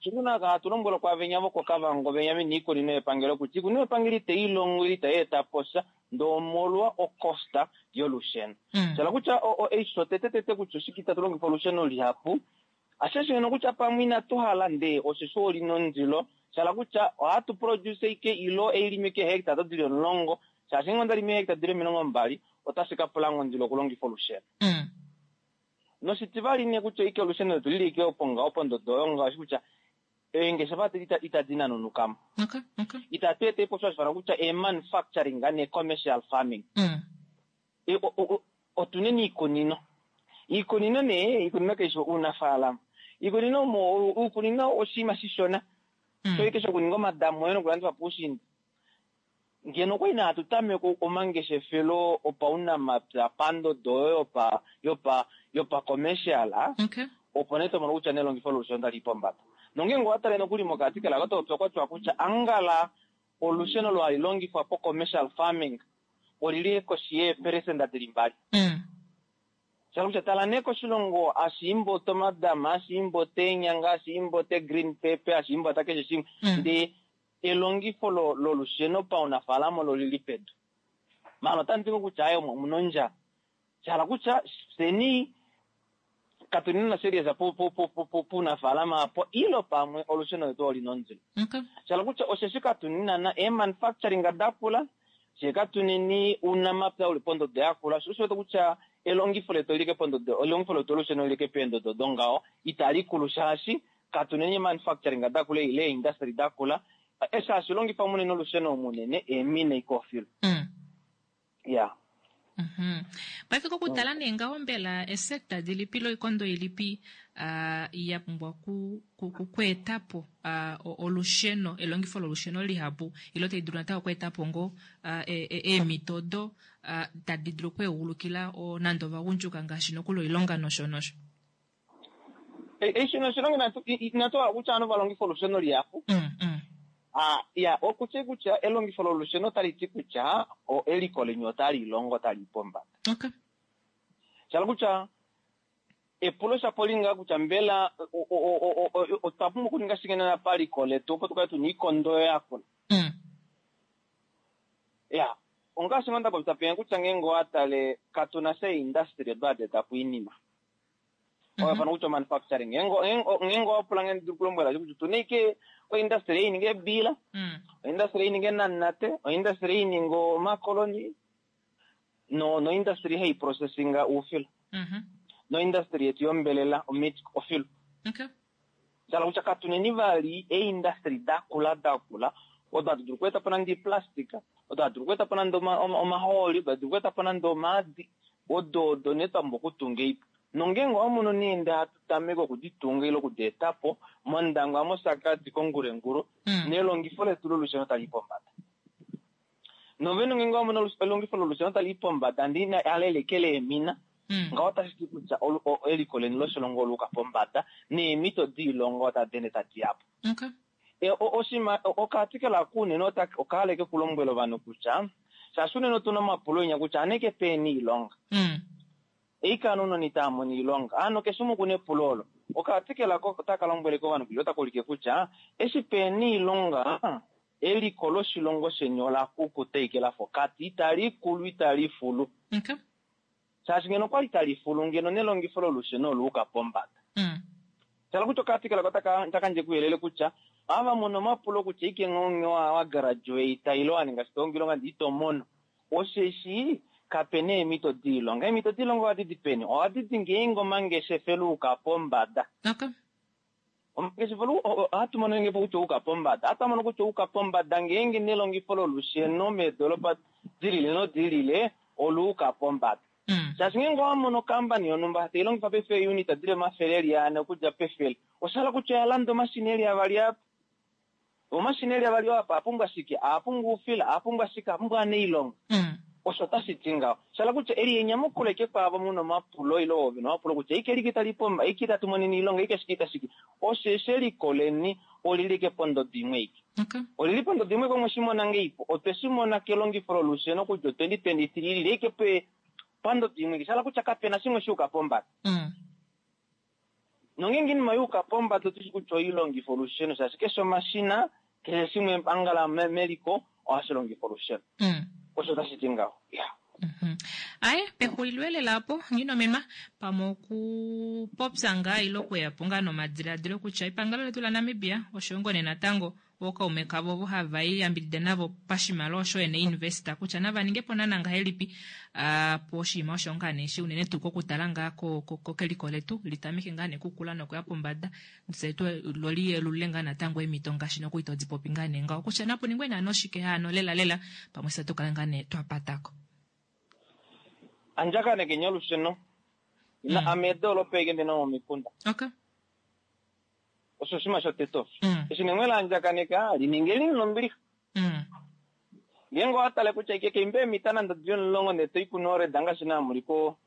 Shimwe hatu lombwelwa kwaavenya vokoKavango venya vena oikunino yepangelo kutya oikunino yepangelo itai longo ile itai eta po sha ndee omolwa okosta yolusheno. Shala kutya eisho tete tete kutya oshike itatu longifa olusheno lihapu, ashike ngeno kutya pamwe inatu hala ndee osheshi olina ondilo, shala kutya ohatu produce ike ilo eilime ike eehectare odo dili 10, shaashi ngee onda limi eehectare dili 20 otashi ka pula ngoo ondilo okulongifa olusheno. Noshitivali nee kutya ike olusheno letu lili ike opo ngaho pondodo oyo ngaashi kutya eengeshefa itadi nanunukamo. Itatu eta ipo osho hashi ifanwa kutya ee-manufacturing nee-commercial farming. Otuneni iikunino. Iikunino nee, iikunino kaishi uunafaalama. Iikunino omo, uukunino oshinima shishona. Shoike shokuninga omadamu oye nokulandifa puushinda. Ngeno okwali nee hatu tameke omangeshefelo opaunamapya pandodo oyo yopa yopa yopa commercial, opo nee tomono kutya nelongifo lolusheno otali i pombada. Nongeenge owa tale nokuli mokati kelaka otopopya okwatiwa kutya angala olusheno olo hali longifwa po commercial farming olili koshi yeeperesenda dili 2. Sha kutya tala nee koshilongo hashi imbota omadama, hashi imbota eenyanga, hashi imbota green pepper, hashi imbota keshe shimwe, ndee elongifo lolusheno paunafaalama olo lili pedu. Maala otandi ti ngoo kutya aaye omuna ondjala. Sha hala kutya fyeni katu nina serious puunafaalama apo ilo pamwe olusheno letu olina ondilo. Sha hala kutya osheshi katu nina ee-manufacturing dakula, fyee katuneni uunamapya uli pondodo yakula, sho osho wete kutya elongifo letu olili pondodo, elongifo letu lolusheno olili peendodo dongaho, itali kulu shaashi katuneni manufacturing dakula ile eeindustry dakula, eshi hashi longifa munene olusheno munene eemina ikoofilo. Ya. Paife kokutala nee ngaho mbela esekta dilipi loikondo ilipi ya pumbwa okweeta po olusheno, elongifo lolusheno lihapu ile tai dulu natango okweeta po ngoo eemhito odo tadi dulu okweegulukila nande ovagundjuka ngaashi nokuli oilonga nosho nosho? Eshi noshilongo inatu hala kutya ovanhu va longife olusheno lihapu. Ya, okutya kutya elongifo lolusheno otali ti kutya eliko leni otali longo otali i pombada. Sha hala kutya epulo shapo oli ngaa kutya mbela otwa pumbwa okuninga shike nena paliko letu opo tu kale tuna oikondo oyo yakula. Ya, ongaashi ngoo nda popya penya kutya ngeenge owa tale katu na sha eindustry odo hadi eta po oinima. Oyo fana kutya manufacturing. Ngeenge owa pula nge ndi kulombwela kutya otuna ike oindustry ei ninga eebila, oindustry ei ninga eenanate, oindustry ei ninga omakoloni, noindustry hai processinga oufila. Noindustry yetu yombelela, omeat, ofilo. Sha hala kutya katuneni vali eeindustry dakula dakula odo hatu dulu okweeta po nande oiplastika, odo hatu dulu okweeta po nande omahooli, odo hatu dulu okweeta po nande omaadi, odo odo nee twa pumbwa okutunga eipo. Nongeenge owa mono nee ndee hatu tameke okuditunga ile okudi eta po mOndangwa, mOshakati, koNgurenguru, nelongifo letu lolusheno tali i pombada. Novene ngeenge owa mono elongifo lolusheno tali i pombada ndee inali elekela eemina, ngaho otashi ti kutya eliko leni loshilongo ola uka pombada neemhito doilonga otadi ende tadi ya po. Oshinima okaarticle aka unene okahala eke ku lombwela ovanhu kutya shaashi unene otuna omapulo enya kutya aneke peni oilonga. Eikano ounona itava mono oilonga. Hano keshe umwe okuna epulo olo. Okaarticle aka otaka lombwele ovanhu kutya otaka ulike kutya eshi pena oilonga eliko loshilongo sheni ola kukuta ike lafa okati, itali kulu itali fulu. Shaashi ngeno okwali tali fulu ngeno nelongifo lolusheno ola uka pombada. Sha hala kutya okaarticle aka otaka yandje kuyelele kutya ava mona omapulo kutya ike nghee wa graduate ile wa ninga shito oilonga ndee ito mono osheshi kapena eemhito doilonga. Eemhito doilonga ohadi di peni? Ohadi di ngeenge omangeshefelo a uka pombada. Omangeshefelo ohatu mono ngeenge kutya ouka pombada. Ohatu mono kutya ouka pombada ngeenge nelongifo lolusheno meedolopa dilile nodilile oluuka pombada. Shaashi ngeenge owa mono okampani yonhumba tai longifa paife eeunit dili 400 okudja pefele, osha hala kutya oya landa omashina eli avali apa. Omashina eli avali oo apa a pumbwa shike? A pumbwa oufila, a pumbwa shike, a pumbwa anailonga. Osho otashi ti ngaho. Sha hala kutya eli enyamukulo ashike kwaavo mu na omapulo ile ovo ve na omapulo kutya eike like tali pomba, eike itatu monene oilonga, eike shike itashike. Osheshi eliko leni oli li ashike pondodo imwe aike. Oli li pondodo imwe aike mwe shi mona ngeipo? Otwe shi mona kelongifo lolusheno kutya o 2023 li li ashike pandodo imwe aike. Sha hala kutya kape na shimwe sha yuka pombada. Nongeenge oinima ya yuka pombada otu shi kutya oilongifo olusheno shaashi keshe omashina, keshe shimwe angala meliko ohashi longifa olusheno. Osho otashi ti ngaho. Ya. Aye, pexulilo elela opo, Nghinomenwa, pamwe okupopya ngaa ile okuya po ngaa nomadiladilo kutya epangelo letu laNamibia osho yo ngoo nee natango ookaume kavo ovo hava i yambidida navo pashimaliwa osho yo neeinvesta kutya nava ninge po naana ngahelipi po oshinima osho ngaa nee shi unene tuu kokutala ngaa keliko letu li tameke ngaa nee okukula nokuya pombada fye tu lo li yelulule ngaa natango eemhito ngaashi nokuli to di popi ngaa nee ngaho kutya napu ningwe naana oshike hano lela lela pamwe fye tu kale ngaa nee twa patako. Andjakanekeni olusheno. Ina ame edoolopa aike ndi na momikunda. Okay. Osho oshinima shotete osho. Eshi nee mwe laandjakaneka, li ningeni nombilixa. Ngeenge owa tale kutya ike keimba eemita nande odi 10 ndele to i kuNored ngaashi naa mu li ko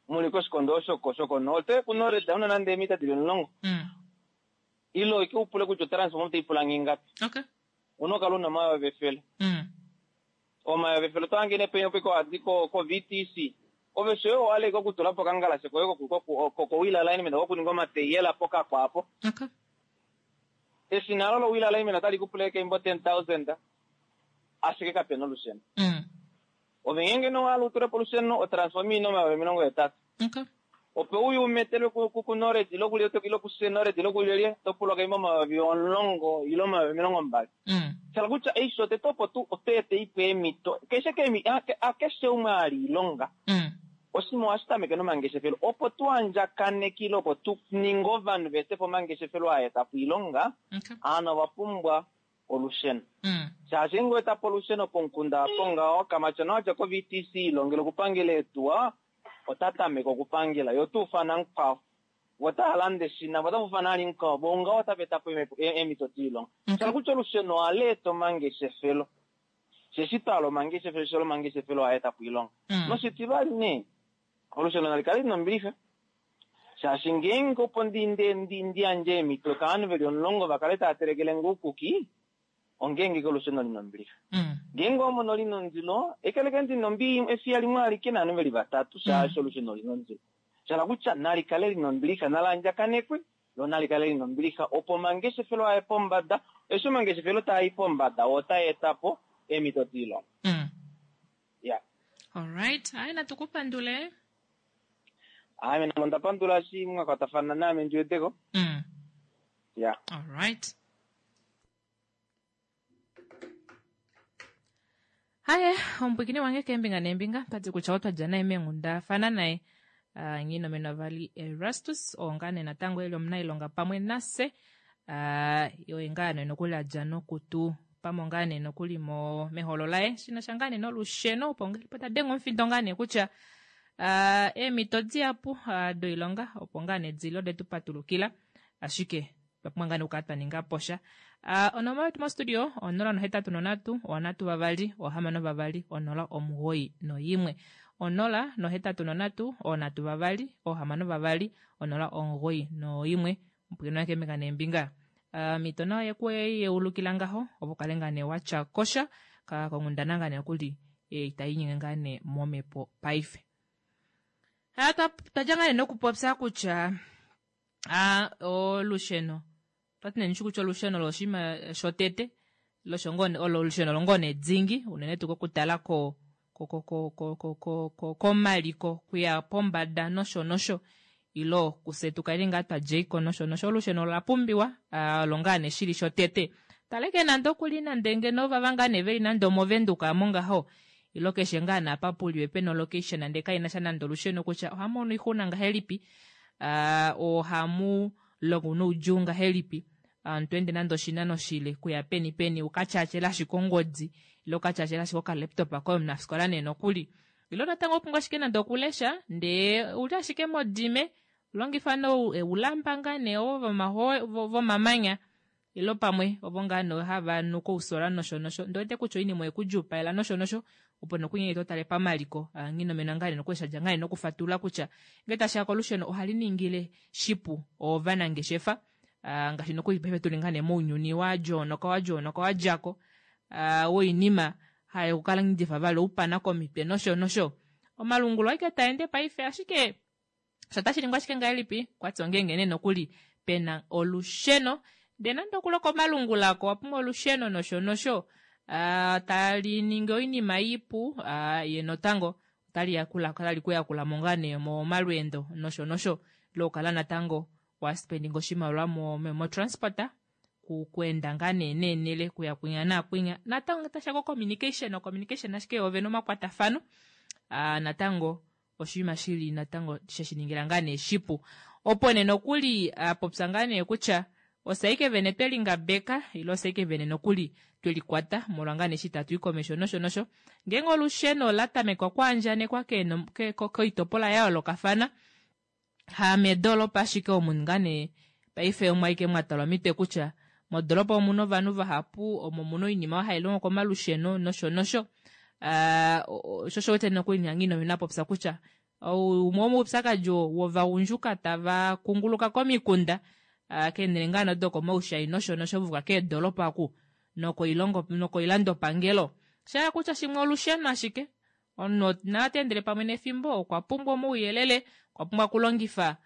mu li koshikondo osho shokonooli, oto i kuNored una nande eemita di li 10. Ile ike u pule kutya otransforma otai pula nge ingapi. Una okala una 100,000. 100,000 oto hange nee penya opo ike ohadi ko-VTC. Ove shoye owa hala ike okutula po okangalashe koye koko-wheel alignment kokuninga omateyela pokakwa apo. Eshina olo lo-wheel alignment otali ku pula ike imbo 10,000 ashike kape na olusheno. Ove ngeenge nee owa hala u tule po olusheno, otransforma ina 80,000. Opo uye u metelwe kuNored ile kulye ile kuSenored ile kulyelye, oto pulwa kaimba 10,000 ile 20,000. Sha hala kutya eshi shotete opo tu oto eta ipe eemhito keshe hakeshe umwe a hala oilonga. Oshinima ohashi tameke nomangeshefelo. Opo tu andjakaneke ile opo tu ninge ovanhu va ete po omangeshefelo aa eta po oilonga, ovanhu ova pumbwa olusheno. Shaashi ngeenge owa eta po olusheno pomukunda apo ngaho, kamatyona wa dja koVTC ilongela okupangela eetuwa, ota tameke okupangela, ye ota ufana mukwao, vo otava lande eshina, vo otava ufana vali mukwao, vo ngaho otava eta po eemhito doilonga. Sha hala kutya olusheno ohala eta omangeshefelo. Osheshi twa hala omangeshefelo, osheshi omangeshefelo ohaa eta po oilonga. Noshitivali nee, olusheno nali kale li na ombilixa, shaashi ngeenge opo ndi ndi yandje eemhito kovanhu ve li omulongo va kale tava telekele nge oukuki, Ongeenge ke olusheno li na ombilixa. Ngeenge owa mono li na ondilo, ekeleke ndi na ombi efiya limwe alike naanhu ve li vatatu, shaashi olusheno oli na ondilo. Sha hala kutya, nali kale li na ombilixa, nali andjakanekwe, lo nali kale li na ombilixa, opo omangeshefelo a ye pombada. Eshi omangeshefelo taa i pombada, oo otaa eta po eemhito doilonga. Ya. Alright, aye natu ku pandule. Ame namo onda pandula eshi mwa kwatafana naame ndi wete ko. Ya. Alright. Haye, omupwikini wange keembinga neembinga, tati kutya otwa dja naye meenghundafana naye uh, Nghinomenwa vali Erastus oo ngaa nee natango eli omunailonga pamwe nase uh, oye ngaa nee nokuli a dja nokutu pamo ngaa nee nokuli mo meholo laye shina sha ngaa nee nolusheno opo ngelipo ta denge omufindo ngaa nee kutya uh, eemhito dihapu uh, doilonga opo ngaa nee dili ode tu patulukila ashike Otwa pumbwa ngaa nee okukala twa ninga po sha. Ah, onomola yetu mostudio 083 3 6 2 091. 083 3 6 2 091. Omupwilikini wange keembinga neembinga. Ah, omhito nayo ye ku yeulukila ngaho opo kale ngaa nee watya kosha ka konghundana ngaa nee nokuli eh, itai inyenge ngaa nee momhepo paife. Ah, twa dja ngaa nee nokupopya kutya A Olusheno otwa ti nee ndishi kutya olusheno olo oshinima shotete losho ngoo olo olusheno olo ngoo nee dingi unene tuu kokutala ko ko komaliko kuya pombada nosho nosho ilo kufye tu kale ngaa twa djeiko nosho nosho olusheno ola pumbiwa olo ngaa nee shili shotete taleke nande okuli nande ngeno ovava ngaa nee veli nande omovenduka amo ngaho ilo keshe ngaa naapa puliwe pena olocation nande kaina sha nande olusheno kutya ohamono oixuna ngahelipi Ohamu longo noudjuu ngahelipi? Aantu ende nande oshinano shile kuya peni peni u ka tyaatyele ashike ongodi ile u ka tyaatyele ashike okalaptop koye omunafikola nee nokuli. Ilo natango opumbwa ashike nande okulesha ndee uli ashike modime longifa oulamba ngaa nee ovo vomamanya ilo pamwe ovo ngaa nee hava nu kousola nosho nosho ndee wete kutya oinima oyekudjuupalela nosho nosho opo nokunyenye to tale pamaliko nghinomena ngaa nee nokulesha dja ngaa nee nokufatulula kutya ngee tashiya kolusheno ohali ningile shipu ovanangeshefa ngaashi nokuli paife tuli ngaa nee mounyuni wa djoonoka wa djoonoka wa djako woinima haye okukala ngidifa vali oupana komitwe nosho nosho omalungulo aike taende paife ashike sho otashi ningwa ashike ngahelipi kwati ongeenge nee nokuli pena olusheno ndee nande okuloka omalungula ako owa pumbwa olusheno nosho nosho tali ningi oinima ipu ye notango otali yakula otali kuyakula mo ngaa nee momalweendo nosho nosho lokukala natango wa spendinga oshimaliwa mo, mo transport kuenda ngaa nee neenele kuya kwinya naakwinya natango tasha ko communication communication ashike ovena omakwatafano natango oshinima shili natango sheshiningila ngaa nee shipu opo nee nokuli apopya ngaa nee kutya osaike vene tweli ngabeka ile osaike vene nokuli tweli kwata molwa ngaa nee eshi tatu i komesho nosho nosho ngeenge olusheno ola tamekwa okwaandjanekwa koitopolwa ya yoolokafana hamedoolopa ashike omu ngaa nee paife omwaike mwa talwa omitwe kutya modolopa omuna ovanhu vahapu omo muna oinima oyo hai longo komalusheno nosho nosho sho osho wete nokuli Nghino ina popya kutya umwe womoupyakadi wovagundjuka tava kunguluka komikunda keenhele ngaa nee dokomaushai nosho nosho vuka keedolopa oku nokoilongo nokoilandopangelo shaya kutya shimwe olusheno ashike Omunhu na ota endele pamwe nefimbo, okwa pumbwa omauyelele, okwa pumbwa okulongifa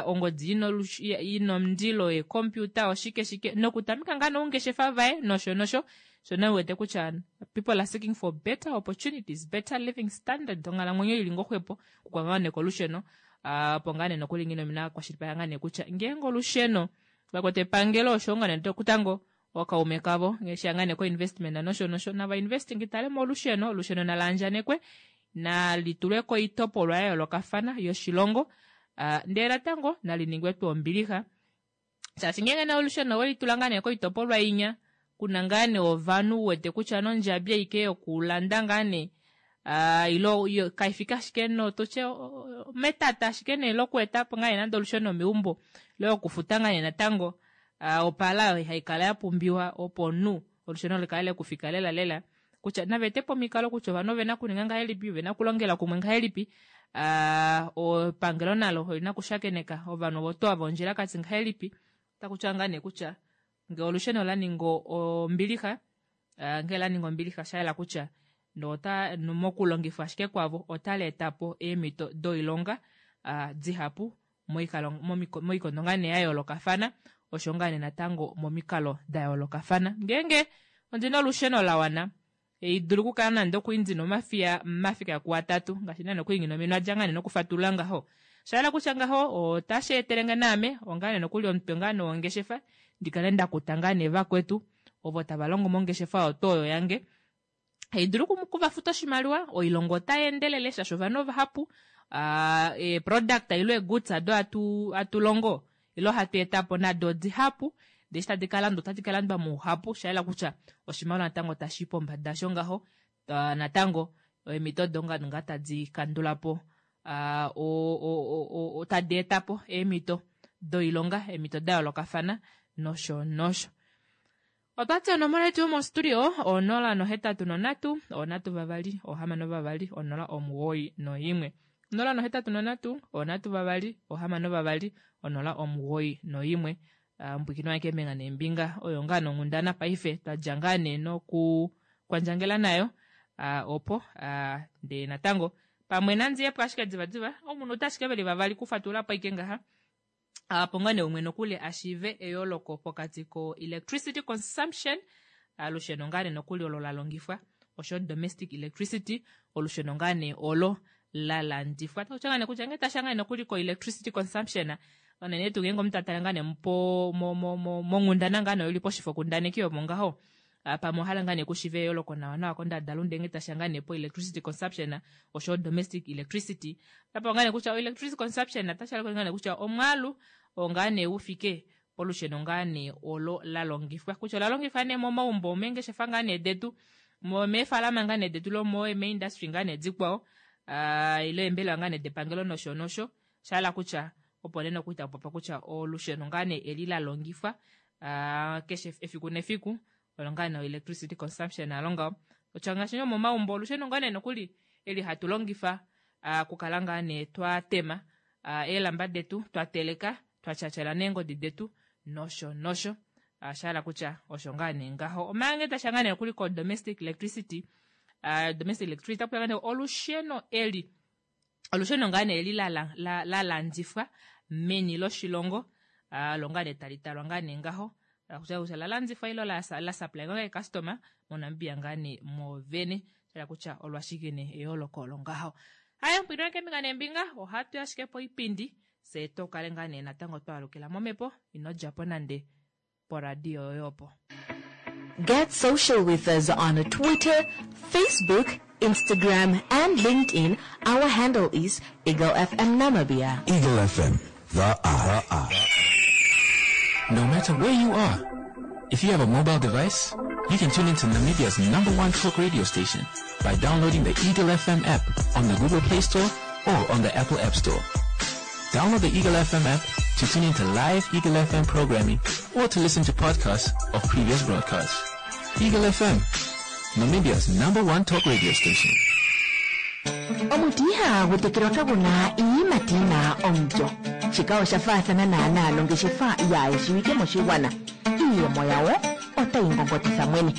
ongodi ina omundilo, eekompiuta, oshike shike, nokutameka ngaa noungeshefa vaye nosho nosho. Sho nee wete kutya people are seeking for better opportunities, better living standard, onghalamwenyo ili ngoo xwepo, kukwa ngaa nee kolusheno. Opo ngaa nee nokuli Nghinomina a kwashilipaleka ngaa nee kutya ngeenge olusheno vakwete epangelo osho ngaa nee kutango ookaume kavo ngaashi ngaa nee koinvestment nosho nosho nava investing tale molusheno olusheno nala andjanekwe nali tulwe koitopolwa ya yoolokafana yoshilongo ndele natango nali ningwe tuu ombilixa shaashi ngeenge nee olusheno oweli tula ngaa nee koitopolwa inya kuna ngaa nee ovanhu u wete kutya nondjabi aike yokulanda ngaa nee ile kaifike ashike notutye metata ashike nee lokueta po ngaa nee nande olusheno meumbo ile okufuta ngaa nee natango opala oyo haikala yapumbiwa opo omunhu olusheno likale lekufika lela lela kutya nava etepo omikalo kutya ovanhu ovena okuninga ngahelipi ovena okulongela kumwe ngahelipi epangelo nalo olina okushakeneka ovanhu ovo tuu ava ondjilakati ngahelipi otakutiwa ngaa nee kutya ngee olusheno ola ninga ombilixa ngee la ninga ombilixa osha yela kutya nota mokulongifwa ashike kwavo otali etapo eemhito doilonga dihapu moikondo ngaa nee ya yoolokafana osho ngaa nee natango momikalo da yoolokafana ngeenge ondina olusheno la wana idulu okukala nande okuli ndina omafiya mafika kuatatu ngaashi nande okuli ngina ominwa dja ngaa nee nokufatulula ngaho shayela kutya ngaho otashi etelenge naame ongaa nee nokuli omutwe ngaa nee wongeshefa ndikale ndakuta ngaa nee vakwetu ovo tava longo mongeshefa oyo tuu oyo yange haidulu okuvafuta oshimaliwa oilonga otai endelele shaashi ovanhu ovahapu eeproduct ile eegoods ado hatu longo ile hatu eta po nado odihapu ndee eshi tadi kalandwa otadi kalandwa mouhapu shayela kutya oshimaliwa natango tashi i pombada sho ngaho natango eemhito odo ngaa tadi kandula po tadi eta po eemhito doilonga eemhito da yoolokafana nosho nosho. Otwati onomola yetu yomostudio onola nohetatu nonhatu onhatu vavali ohamano vavali onola omugoyi noimwe onola nohetatu nonhatu onhatu vavali ohamano vavali onola omugoyi noimwe mbwikino wange keembinga neembinga oyo ngaa nonghundana paife twadja ngaa nee noku kwandjangela nayo opo ndee natango pamwe nandiyepo ashike divadiva omunhu ota ashike veli vavali kufatulapo aike ngaha Opo ngaa nee umwe nokuli a shiive eyooloko pokati ko electricity consumption, olusheno ngaa nee nokuli olo la longifwa, osho domestic electricity, olusheno ngaa nee olo la landifwa. Otaku tiwa ngaa nee kutya ngee tashiya ngaa nee nokuli ko electricity consumption, unene tuu ngeenge omuntu ta tale ngaa nee po mo mo mo monghundana ngaa nee oyo ili poshifokundaneki omo ngaho, Pamwe owa hala ngaa nee kushiive eyooloko nawa nawa kondadalunde ngee tashiya ngaa nee po electricity consumption oshowo domestic electricity. Otapewa ngaa nee kutya o electricity consumption otashi hala ngaa nee kutya omwaalu oo ngaa nee ufike polusheno ngaa nee olo la longifwa kutya ola longifwa nee momaumbo omeengeshefa ngaa nee detu meefalama ngaa nee detu lo meeindustry ngaa nee dikwao. Ile eembelewa ngaa nee depangelo nosho nosho. Osha hala kutya opo nee nokuli taku popiwa kutya olusheno ngaa nee eli la longifwa keshe efiku nefiku olo ngaa nee electricity consumption alo ngaho. Kutya ngaashi nee momaumbo olusheno ngaa nee nokuli eli hatu longifa okukala ngaa nee twa tema eelamba detu, twa teleka, twa tyatyala neengodi detu nosho nosho. Osha hala kutya osho ngaa nee ngaho. Omanga ngee tasha ngaa nee nokuli ko domestic electricity, domestic electricity otaku ngaa nee olusheno eli, olusheno ngaa nee eli la, la, la, la landifwa meni loshilongo, olo ngaa nee tali talwa ngaa nee ngaho. Kutya kutya la landifwa ilo la, la supply ngaa customer moNamibia ngaa nee moovene. Sha hala kutya olwashike nee eyooloko olo ngaho. Haye, mpwino keembinga neembinga, ohatu ashike poipindi, fye to kale ngaa nee natango twa alukila momhepo, ino dja po nande poradio yoye opo. Get social with us on Twitter, Facebook, Instagram and LinkedIn. Our handle is Eagle FM Namibia. Eagle FM, the eye. No matter where you are, if you have a mobile device, you can tune into Namibia's #1 talk radio station by downloading the Eagle FM app on the Google Play Store or on the Apple App Store. Download the Eagle FM app to tune into live Eagle FM programming or to listen to podcasts of previous broadcasts. Eagle FM, Namibia's #1 talk radio station. Omuti ihagu tekelwa kagu na iiyimati yi na omulyo. Shika osha faathana naanaa nongeshefa yaayeshiwike moshigwana. Iiyemo yawo otayi ngongotitha mwene.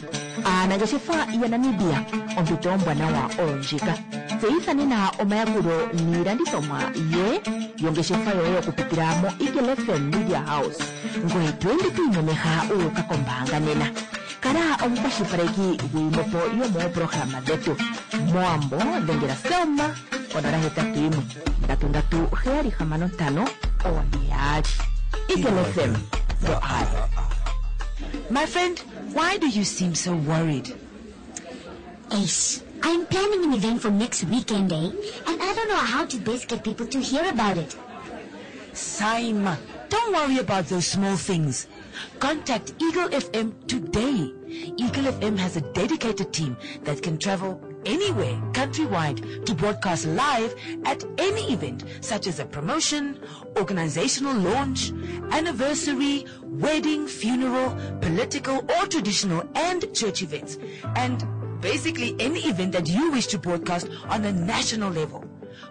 Aanangeshefa yaNamibia, ompito ombwanawa oyo ndjika. Tseyitha nena omayakulo niilandithomwa ye yongeshefa yoye okupitila moEagle FM Media House. Ngoye to ende to imemeha wu uka kombaanga nena. Kala omukwashilipaleki gwiimopo yomooprograma dhetu. Mowambo dhengela Selma ko081 337 65 42. Eagle FM, the eye. My friend, why do you seem so worried? Eish, I'm planning an event for next weekend, eh? And I don't know how to best get people to hear about it. Saima, don't worry about those small things. Contact Eagle FM today. Eagle FM has a dedicated team that can travel anywhere countrywide to broadcast live at any event, such as a promotion, organizational launch, anniversary, wedding, funeral, political or traditional and church events, and basically any event that you wish to broadcast on a national level.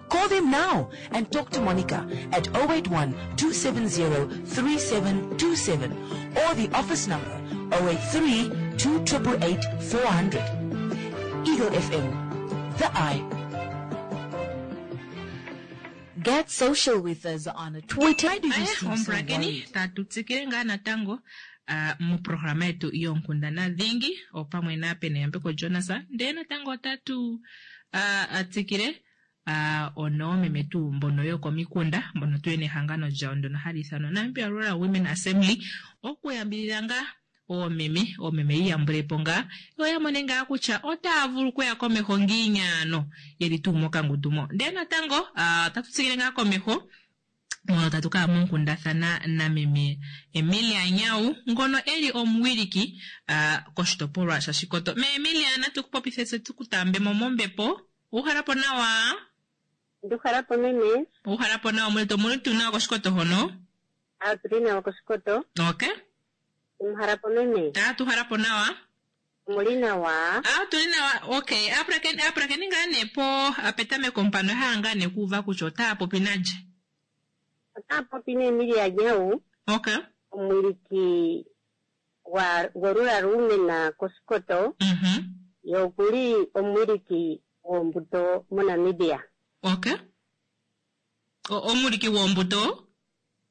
Call them now and talk to Monica at 081-270-3727 or the office number 083-2888-400. Eagle FM, the eye. Get social with us on Twitter. Why do you seem so Omupulakeni, worried? tatu tsikile ngaa natango moprograma yetu yonkundana dhingi opamwe naPeneyambeko Jonas, ndee natango otatu tsikile onoomeme tuu mbono yokomikunda mbono tu yena ehangano lyawo ndono hali ithanwa Namibia Rural Women Assembly okuyambidhidha ngaa oomeme, oomeme yiiyambulepo ngaa yo ya mone ngaa kutya otaya vulu okuya komeho ngiini ano yeli tuu mokangundu mo. Ndee natango otatu tsikile ngaa komeho mono tatu kaya monkundathana nameme Emilia Nyau ngono eli omuwiliki koshitopolwa shaShikoto. Me Emilia, natu ku popithe tse tu ku taambe mo mombepo. Uhala po nawa? Nduhala po meme. Uhala po nawa, omuli omuli tuu nawa koshikoto hono? Otuli nawa koshikoto. Okay. Omuhala po meme. Tuhala po nawa. Omuli nawa. Tuli nawa. Okay, apulakeni ngaa nee po petameko mpano hala ngaa nee kuuva kutya otaya popi nalye. Otaya popi naEmilia Nyau. Okay. Omuwiliki gwoRural Women koshikoto. Ye okuli omuwiliki gwombuto moNamibia. Okay. Omuwiliki gwombuto?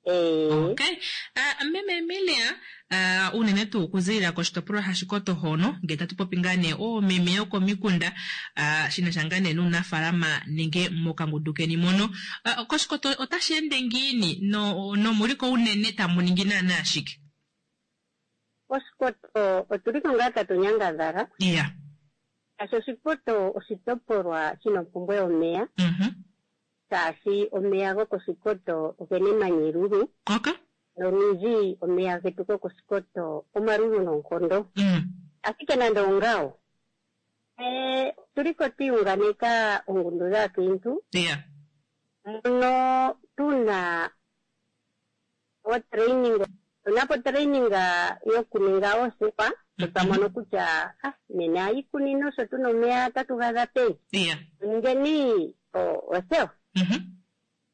Okay. Meme Emilia, unene tuu okuzilila koshitopolwa shaShikoto hono, ngele tatu popi ngaa nee oomeme yokomikunda, shina sha ngaa nee nuunafaalama nenge mokangundu keni mono. Koshikoto otashi ende ngiini nomuliko unene tamu ningi naanaa shike? Koshikoto otuliko ngaa tatu nyangadhala. Shaashi Oshikoto oshitopolwa shina ompumbwe yomeya. Shaashi omeya gokoshikoto ogena emanya elulu. Nolundji omeya getu gokoshikoto omalulu noonkondo. Ashike nande ongawo, Otuliko twiunganeka ongundu dhaakiintu mono tuna otraining, tuna po training yokuninga oosepa, sho twa mono kutya ah, nena iikunino sho tuna omeya otatu gadha peni, tuningeni othewa.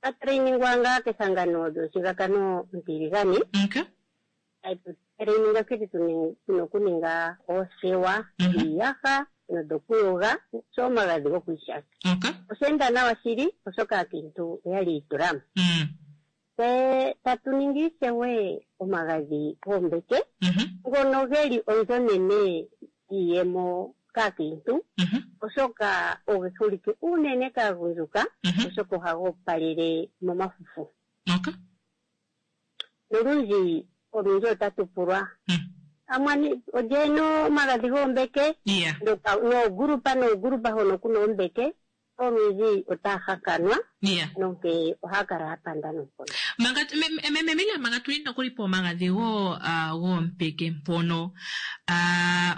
Twa trainingwa ngaa kehangano lyomushigakano omutiligane. Tatu trainingwa nkene tuna okuninga oothewa dhiiyaha nodhokuyoga oshowo omagadhi gokwiishasha. Osha enda nawa shili oshoka aakiintu oyali yiitulamo. Tse tatu ningi ishewe omagadhi goombeke ngono geli onzo onene yiiyemo kaakiintu oshoka oge holike uunene kaagundjuka oshoka ohaga opalele momafufu. Nolundji olundji otatu pulwa amwani olye ena omagadhi goombeke noogulupa noogulupa hono kuna oombeke olundji otaya hakanwa nonkee ohaya kala ya panda noonkondo. Manga meme Miriam, manga tuli nokuli pomagadhi goompeke mpono,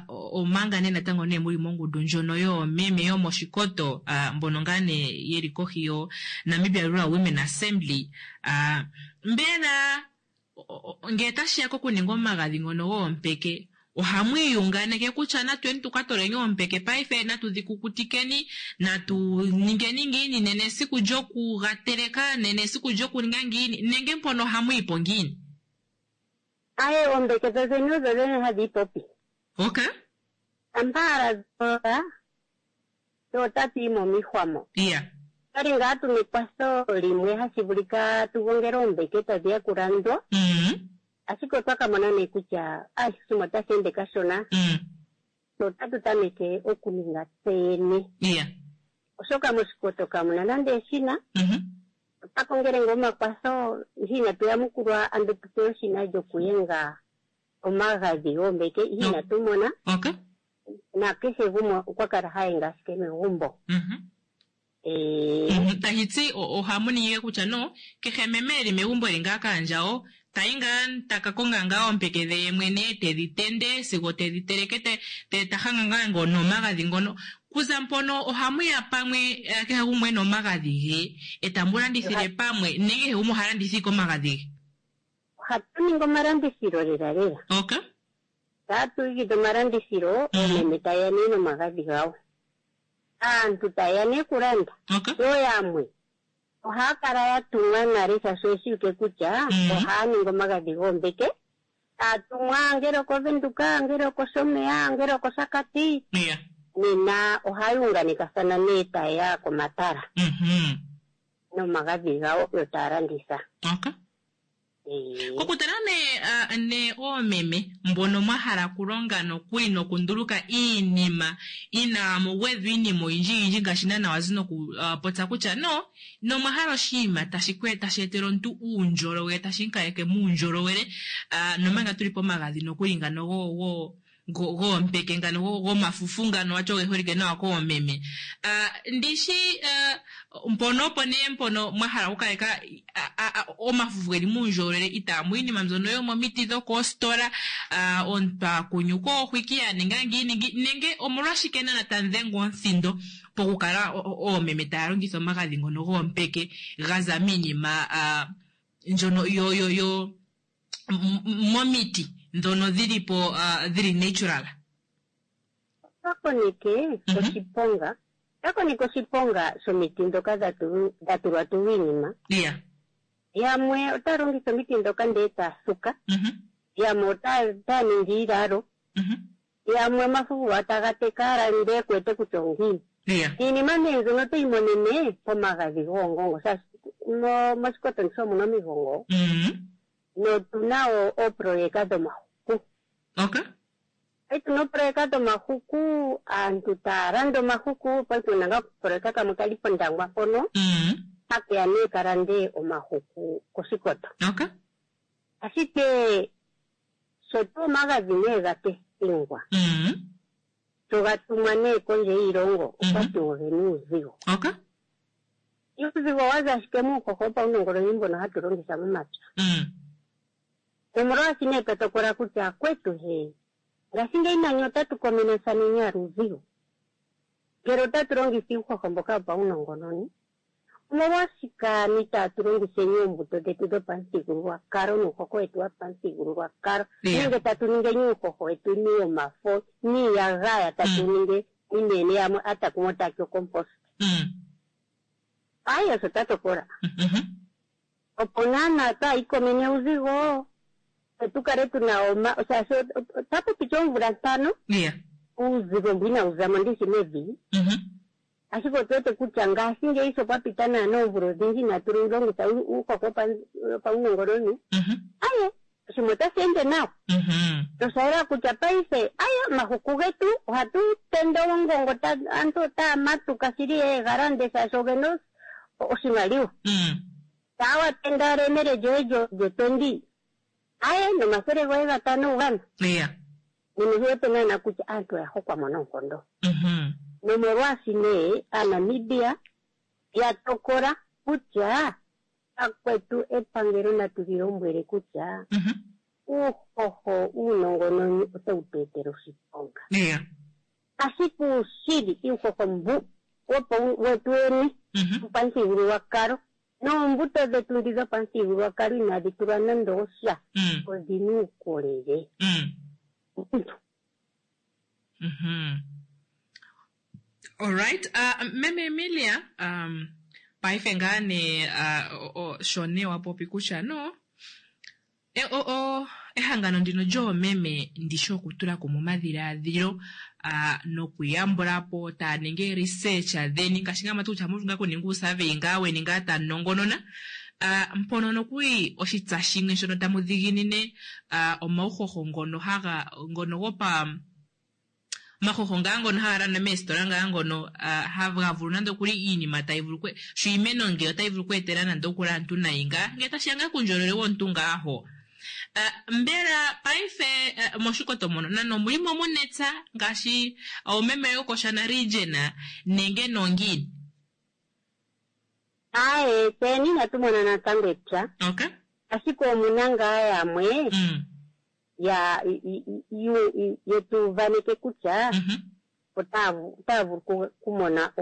omanga nee natango nee muli mongundu ndjono yoomeme yomOshikoto, mbono ngaa nee yeli kohi yo Namibia Rural Women Assembly, mbela Ngele tashi ya kokuninga omagadhi ngono goompeke, ohamu iyunganeke kutya natuyeni tu ka toleni oompeke paife, natu dhi kukutikeni, natu ningeni ngiini, nena esiku lyoku ga teleka, nena esiku lyokuninga ngiini, nenge mpono ohamu yi po ngiini? Aye, oombeke dho dhene odho dhene hadhi ipopi. Okay. Shampa owala dho ola, tse otatu yi momihwa mo. Yeah. Otwali ngaa tuna ekwatho limwe hashi vulika tu gongele oombeke tadhi ya kulandwa, ashike otwa ka mona nee kutya oshinima otashi ende kashona, tse otatu tameke okuninga tse yene. Yeah. Oshoka mOshikoto kamu na nande eshina. Otwa kongele ngaa omakwatho, ihe inatu yamukulwa ando tu pewe eshina lyokuyenga omagadhi goombeke, ihe inatu mona. Okay. Na kehe gumwe okwa kala ha yenge ashike megumbo. Ee. Tashi ti ohamu ningi kutya no kehe meme eli megumbo eli ngaa kaandjawo tayi ngaa taka konga ngaa oompeke dhe ye mwene tedhi tende sigo tedhi teleke te ta hanga ngaa ngo nomagadhi ngono. Kuza mpono ohamu ya pamwe kehe gumwe ena omagadhi ge eta mu landithile pamwe nenge kehe gumwe oha landitha ike omagadhi ge? Ohatu ningi omalandithilo lela lela. Okay. Tatu igidha omalandithilo, oomeme taye ya nee nomagadhi gawo. Aantu taye ya nee okulanda. Yo yamwe ohaya kala ya tumwa nale shaashi oye shiwike kutya ohaya ningi omagadhi goombeke. Taya tumwa ngele okOvenduka, ngele okOshomeya, ngele okOshakati. Nena ohaya unganekathana nee taye ya komatala nomagadhi gawo yo taya landitha. Kokutala nee ne oomeme mbono mwa hala okulonga nokuli nokunduluka iinima inaamu gwedhwa iinima oyindji yindji ngaashi naana wazi noku popya kutya no nomwa hala oshinima tashi ku tashi etele omuntu uundjolowele tashi mu kaleke muundjolowele nomanga tuli pomagadhi nokuli ngano go go goompeke ngano gomafufu ngano wati oge holike nawa koomeme. Ndishi mpono opo nee mpono mwa hala okukaleka omafufu geli muundjolowele itaamu iinima mbyono yomomiti dhokoositola, omuntu a kunyuka oohwiki a ninga ngiini nenge omolwashike naana tamu dhenge omuthindo pokukala oomeme taya longitha omagadhi ngono goompeke ga za miinima ndjono yo yo yo momiti ndhono dhili po dhili natural. Otwa koneke oshiponga, otwa koneke oshiponga shomiti ndhoka dha tulwa tulwa iinima. Yamwe otaya longitha omiti ndhoka ndele taya suka, yamwe otaya ningi iilalo, yamwe omafufu gawo taga teka owala ndele ku wete kutya ongiini. Iinima nee mbyono otoyi monene pomagadhi goongongo shaashi mOshikoto ndishi omu na omigongo. Notu na wo ooproyeka dhomahuku. Okay. Paife tuna ooproyeka dhomahuku, aantu taya landa omahuku, paife tuna ngaa okaproyeka kamwe kali pOndangwa mpono, hake ya nee ka lande omahuku kOshikoto. Okay. Ashike sho tuu omagadhi nee ga testingwa, sho ga tumwa nee kondje yiilongo, okwa ti ogena uuzigo. Okay. Uuzigo owa za ashike muuhoho wopaunongononi mbono hatu longitha momapya. Nomolwaashi nee twa tokola kutya akwetu he, ngashingeyi nani otatu komenathaneni owala uuzigo. Ngele otatu longitha uuhoho mboka wopaunongononi, omolwashike ano itaatu longitheni oombuto dhetu dhopamuthigululwakalo nuuhoho wetu wopamuthigululwakalo nenge tatu ningeni uuhoho wetu niomafo niiyagaya tatu ninge inene yamwe atakumo tati ocompost. Ayi osho twa tokola. Opo naana twaayikomene uuzigo tse tu kale tu na oma shaashi otapu piti oomvula ntano uuzigo mbu inawu za mo ndishi mevi. Ashike otu wete kutya ngashingeyi sho pwa pita naana oomvula odhindji inaatu longitha uuhoho wopaunongononi, aye oshinima otashi ende nawa. Nosha yela kutya paife aye omahuku getu ohatu tende oongongo, aantu otaya matuka shili ye ga lande shaashi oge na oshimaliwa. Shaa wa tenda elemele lyoye lyotondi, aye nomathele goye gatano wu ga na. Nena oshi wete naana kutya aantu oya hokwa mo noonkondo. Nomolwaashi nee Aanamibia ya tokola kutya akwetu epangelo natu li lombwele kutya uuhoho uunongononi otawu tu etele oshiponga. Ashike uushili uuhoho mbu wetu wene wopamuthigululwakalo noombuto dhetu ndhi dhopamuthigululwakalo inadhi tulwa nando osha odhi na uukolele. Omuntu. Alright, Meme Emilia, paife ngaa nee sho nee wa popi kutya no E, o, o, ehangano ndino lyoomeme ndi shi okutula kumwe omadhilaadhilo a, nokuyambula po taa ningi ee-research dheni ngaashi ngaa mwati kutya ohamu vulu ngaa okuninga uusurvey ngaa weni ngaa tamu nongonona a, mpono nokuli oshitsa shimwe shono tamu dhiginine a, omauhoho ngono haga ngono gopa omahoho ngaa ngono haga landwa meesitola ngaa ngono haga vulu nande okuli iinima tayi vulu sho iimeno nge otayi vulu okweetela nande okuli aantu nayi ngaa ngele tashiya ngaa kuundjolowele womuntu ngaa ho. Mbela paife mOshikoto mono nani omuli mo muna epya ngaashi oomeme yokOshana region nenge nongiini? Aaye, tseni inatu mona natango epya. Okay. Ashike omuna ngaa yamwe ya ye tu uvaneke kutya otaya otaya vulu okumona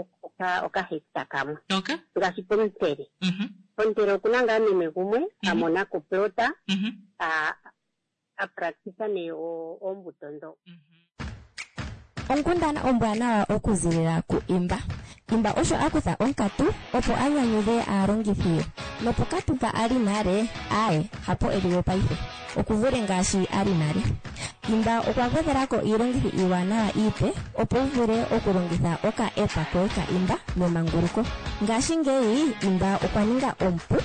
okahecta kamwe. Okay. Ngaashi pOmuntele. Pomuntele okuna ngaa meme gumwe a mona ko plota a a practice nee oombuto ndho. Onkundana ombwanawa okuzilila ku Imba. Imba osho a kutha onkatu opo a nyanyudhe aalongithi ye. Nopokatu mpa a li nale, aaye, hapo e li we paife. Oku vule ngaashi a li nale. Imba okwa gwedhela ko iilongithi iiwanawa iipe opo wu vule okulongitha oka app koye ka Imba memanguluko. Ngashingeyi Imba okwa ninga omupu,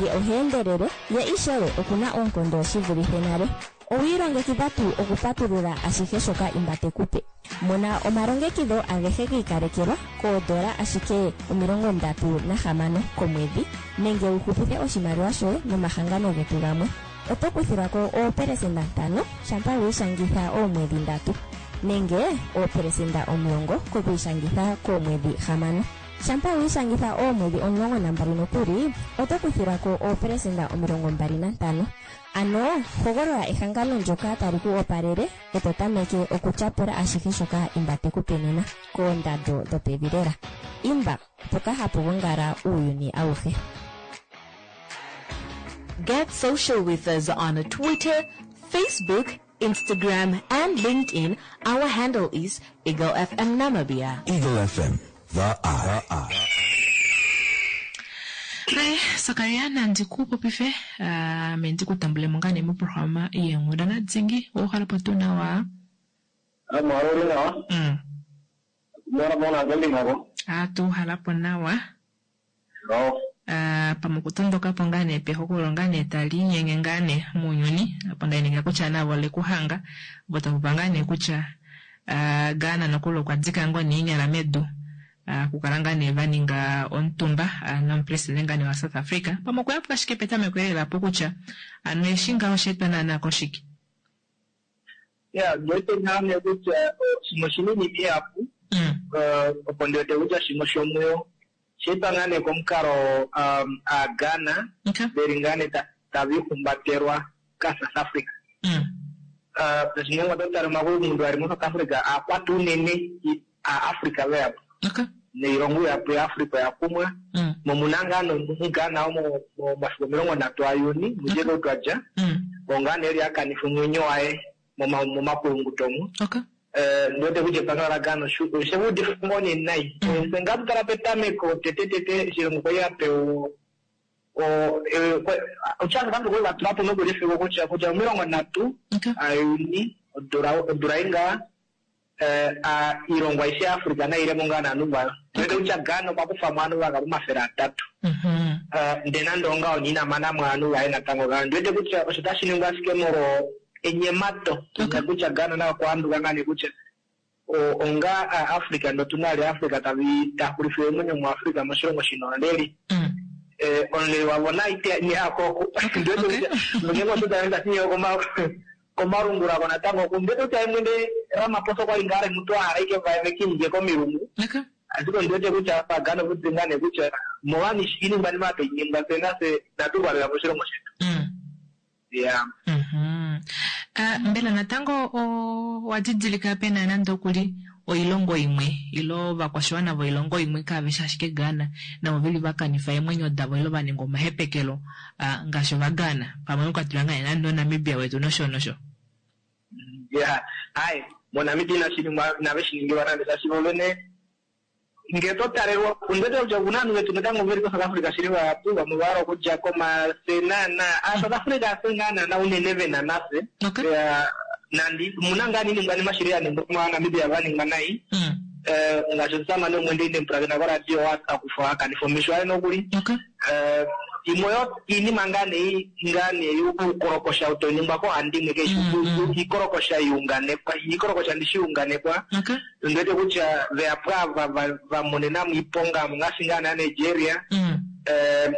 ye oha endelele, ye ishewe oku na oonkondo shi vulithe nale. Owi ilongekidha tuu okupatulula ashihe shoka Imba te ku pe? Mona omalongekidho agehe gi ikalekelwa koodola ashike 36 komwedhi nenge wu hupithe oshimaliwa shoye nomahangano getu gamwe. Oto kuthilwa ko oopelesenda ntano shampa wi ishangitha oomwedhi ndatu nenge oopelesenda 10 kokwiishangitha koomwedhi hamano. Shampa wi ishangitha oomwedhi 12 nokuli, oto kuthilwa ko oopelesenda 25. Ano hogolola ehangano ndyoka tali ku opalele e to tameke okutyapula ashihe shoka Imba te ku pe nena, koondando dhopevi lela. Imba, mpoka hapu gongala uuyuni awuhe. Get social with us on Twitter, Facebook, Instagram and LinkedIn. Our handle is Eagle FM Namibia. Eagle FM, the eye. Re, Sakaria nandi ku popife ame ndi ku tambule mo ngaa nee moprograma yeenghundana dingi owa po tuu nawa? Amwalo uli nawa. Mona mona ngelinga ko. A tu hala po nawa. No. Ah, pamwe okutondoka po ngaa nee pehokololo ngaa nee tali inyenge ngaa nee muunyuni apo nda inekela kutya navo ole ku hanga vo tava ngaa nee kutya ah, Ghana nokuli okwa dika ngoo nee iinyala medu ah, okukala ngaa nee va ninga omutumba ah, nomupresidente ngaa nee wa South Africa pamwe okweya po ashike petameko elela po kutya ano eshi ngaho osha etwa naanaa koshike. Ya, ndi wete ngaa nee kutya shimwe oshina iinima ihapu, opo ndi wete kutya shimwe shomuyo osha etwa ngaa nee komukalo Aaghana veli ngaa nee tava ihumbatelwa kaSouth Africa. Shaashi ngenge oto tale omakulungundu ali moSouth Africa aakwata unene Aafrica veyapo. Noilongo ihapu yaAfrica oya kumwa. Mo mu na ngaa nomuGhana omo momafiku 30 aJuni, mudjeke ou twa dja, oo ngaa nee eli a kanifa omwenyo waye momakulunguto omu. Ndi wete kutya epangelo laGhana oshe va udifa ngoo nee nai. Fye ngaa tu tala petameko tete tete oshilongo kwali a pewa Osha fa kwali va tula po nokuli efiku kutya kutya 30 aJuni odula odula ei ngaa oilongo aishe yaAfrica nai ile mo ngaa novanhu vayo. Ndi wete kutya Ghana okwa kufa mo ovanhu vakapu 300. Ndele nande ongaho nee ina mana mo ovanhu vaye natango Ghana. Ndi wete kutya osho otashi ningwa ashike molwo enyemato kutya Ghana naye okwa handuka ngaa nee kutya Onga aa Africa ndee otuna vali Africa tavi ta xulifile eemwenyo mu Africa moshilongo shina omuleli. Omuleli wavo na ite neyako oku. Ndiwete kutya ngeenge osho taenda shiye komalungula ko natango oku. Ndiwete kutya ye mwene Ramaphosa okwali ngaa mutu ahala ashike vaye vekiinge komilungu. Ashike ondiwete kutya apa Ghana oku ngaa nee kutya molwani iiningwanima apa tainingwa fye nafye inatu valelwa moshilongo shetu. Yeah. Mbela natango owa didilika pe na nande okuli oilongo imwe ile ovakwashiwana voilongo imwe kave shi ashike Ghana navo veli va kanifa eemwenyo davo ile va ninga omahepekelo ngaashi Ovaghana pamwe mwa kwatelwa ngaa nande oNamibia wetu nosho nosho? Yeah. Hai, moNamibia inashi ningwa, inave shi ningilwa nande shaashi vo vene Ngee to talelwa, ondiwete kutya okuna ovanhu vetu natango veli koSouth Africa shili vahapu, vamwe ova hala okudja ko maar fye naana, aaSouth Africa hafye ngaa naana unene vena nafye. Nande omuna ngaa oiningwanima shili ya ningwa moNamibia va ningwa nai, ngaashi omusamane umwe ndee ine mupulakena koradio a kufwa a kanifa omesho aye nokuli. Imwe yo iinima ngaa nee ngaa nee yuukolokosha ou tau ningwa koohandimwe kaishi iikolokosha ya unganekwa, iikolokosha ndishi ya unganekwa. Ondi wete kutya vehapu ava va va monena mo iiponga ngaashi ngaa naa Nigeria,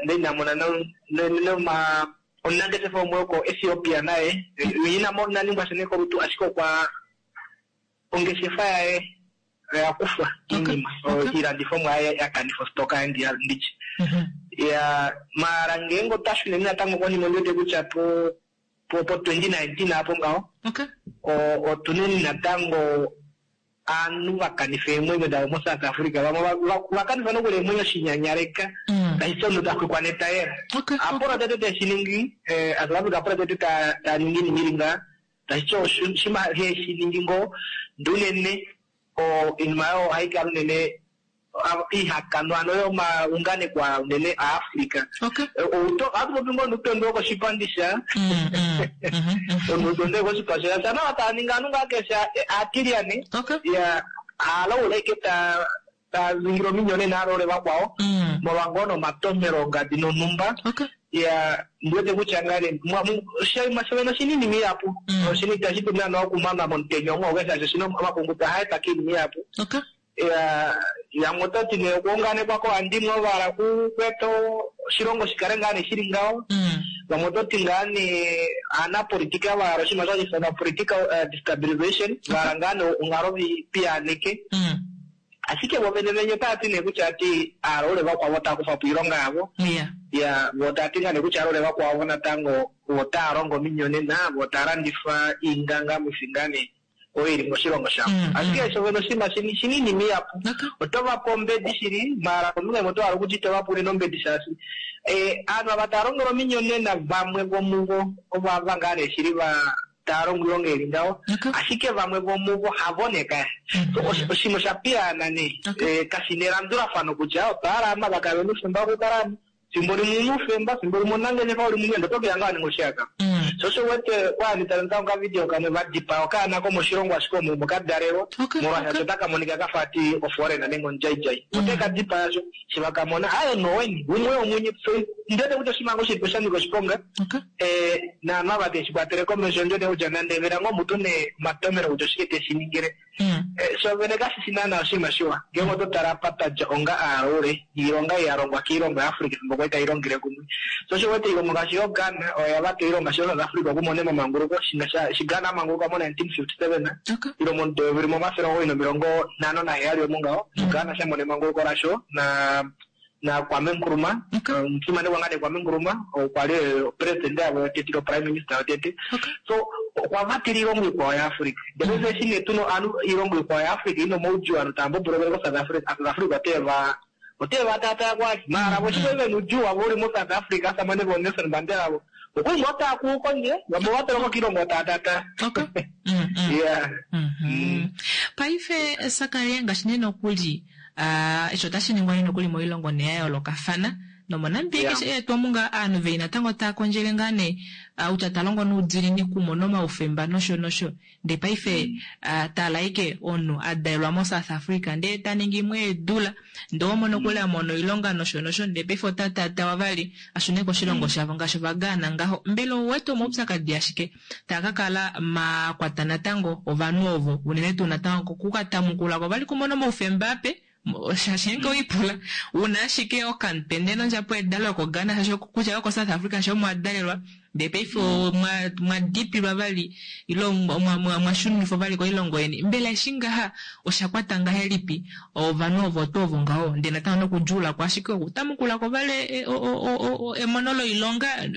ndee ina mona noma omunangeshefa umwe woko Ethiopia naye ina ina ningwa sha nee kolutu ashike okwa ongeshefa yaye oya kufwa iinima iilandithomwa yaye ya kanifa ostoka yaye nditye. Ya maala ngeenge otwa shuneni natango konima ondi wete kutya po po po 2019 apo ngaho otuneni natango aanhu va kanifa eemwenyo davo mo South Africa vamwe va kanifa nokuli eemwenyo shinyanyaleka tashi ti omunhu ta xwikwa netayela. Apolo tete teshi ningi South Africa apolo tete ta ningi iinima ili ngaha tashi ti oshima heshi ningi ngoo ndee unene oinima oyo ohai kala unene ihakanwa ano yomaunganekwa unene aAfrica. Ohatu popi ngoo nuutondwe wokoshipandi sha onuutondwe wokoshipa sha sha nawa tava ningi ovanhu ngaa keshe aatilyane ya haalaula ashike ta ta ningile ominyonena aalole vakwao molwa ngoo nomatomhelo ongadi nonhumba. Ya ndi wete kutya ngaa nee oshinima shovene oshinima ihapu oshinima itashi dulu naana okumanwa momutenya umwe auke shaashi oshina omapunguto ohaa etwa koinima ihapu. Ya yamwe oto ti nee okuunganekwa koohandimwe ovo va hala okweeta oshilongo shi kale ngaa nee shili ngaho. Vamwe oto ti ngaa nee aanapolitika va hala oshinima osho hashi ifanwa political destabilization, va hala ngaa nee onghalo ve i piyaaneke. Ashike vo vene venye otava ti nee kutya vati aalaule vakwao otava kufa po oilonga yavo. Ya, vo tava ti ngaa nee kutya aalaule vakwao natango vo otava longo ominyonena, vo otava landifa iingangamwifi ngaa nee oyo ili moshilongo shavo. Ashike osho vene oshinima shina iinima ihapu. Oto va pe ombedi shili, maala kombinga imwe oto hala okutya ito va pe unene ombedi shaashi ovanhu ava tava longele ominyonena vamwe vomuvo ovo ava ngaa nee shili va tava longo oilonga ili ngaho, ashike vamwe vomuvo havo nee kaya. So oshinima osha piyaana nee, kashi na elandulafano kutya otwa hala ava va kale vena oufemba wokukala amo, fimbo limwe una oufemba, fimbo limwe omunangeshefa uli mumwe ndee oto keya ngaa wa ninga oshihakanwa. Sho osho u wete kwa handi tale natango okavidio kamwe va dipaa okaana komoshilongo ashike omo omo ka dalelwa molwaashi otaka monika kafa ati oforeigner nenge omudjaidjai. Ote ka dipaya sho eshi va ka mona aaye noweni umwe womunye. So ndi wete kutya oshinima ngoo shilipo sha nyika oshiponga naanhu ava teshi kwatele komesho ondi wete kutya nande vena ngoo mutu ne omatomelo kutya oshike teshi ningile. Sho vene kashi shi naana oshinima shiwa ngeenge oto tala apa twa dja onga aalaule niilonga ei ya longwa kiilongo yaAfrica efimbo kwali tai longele kumwe. Sho osho u wete oilongo ngaashi yoGhana oyo ya vata oilonga ngaashi yoSouth Africa okumona emamanguluko eshi Ghana a manguluka mo 1957 ile momudo weyovi limwe omafele omugoyi nomilongo nhano naheyali omo ngaho osho Ghana sha mona emanguluko lasho na. Na Kwame Nkrumah, omufimanekwa ngaa nee Kwame Nkrumah, okwa li president yavo yotete ilo prime minister yotete. So okwa vatela oilongo ikwao yaAfrica. Ndele paife eshi nee tuna ovanhu oilongo ikwao yaAfrica ina omaudjuu ovanhu tava mbobolokele koSouth Africa, South Africa ote va ote va taataa kwali. Maala vo eshi kwali vena oudjuu wavo uli moSouth Africa, ovasamane vooNelson Mandela vo okwali ngoo taa kuu kondje, vamwe ova twalwa kokiilongo taa taataa. Yeah. Paife Sakaria ngaashi nee nokuli Aah eshi otashi ningwa nee nokuli moilongo nee ya yoolokafana nomoNamibia Yeah. keshe eetwa omu ngaa aanhu veli natango taa kondjele ngaa nee ah, utya ta longo noudiinini okumona omaufemba nosho nosho ndee paife ah, tala ashike omunhu a dalelwa moSouth Africa ndee ta ningi imwe eedula ndee oho mono kuli a mona oilonga nosho nosho ndee paife ota taatawa vali a shune koshilongo shavo ngaashi Ovagaana ngaho. Mbela ou wete omaupyakadi ashike taa ka kala ma kwata natango ovanhu ovo, unene tuu natango koku ka tamukula ko vali kumona omaufemba ape, shaashi ngeenge owe ipula u na ashike okamutende nondjapo yedalo yokoGhana shaashi kutya yokoSouth Africa shaashi omo wa dalelwa ndee paife omwa mwa dipilwa vali ile omwa mwa shunifwa vali koilongo yeni. Mbela eshi ngaha osha kwata ngahelipi ovanhu ovo tuu ovo ngaho ndee natango nokudjuula ko ashike okutamukula ko vali emono loilonga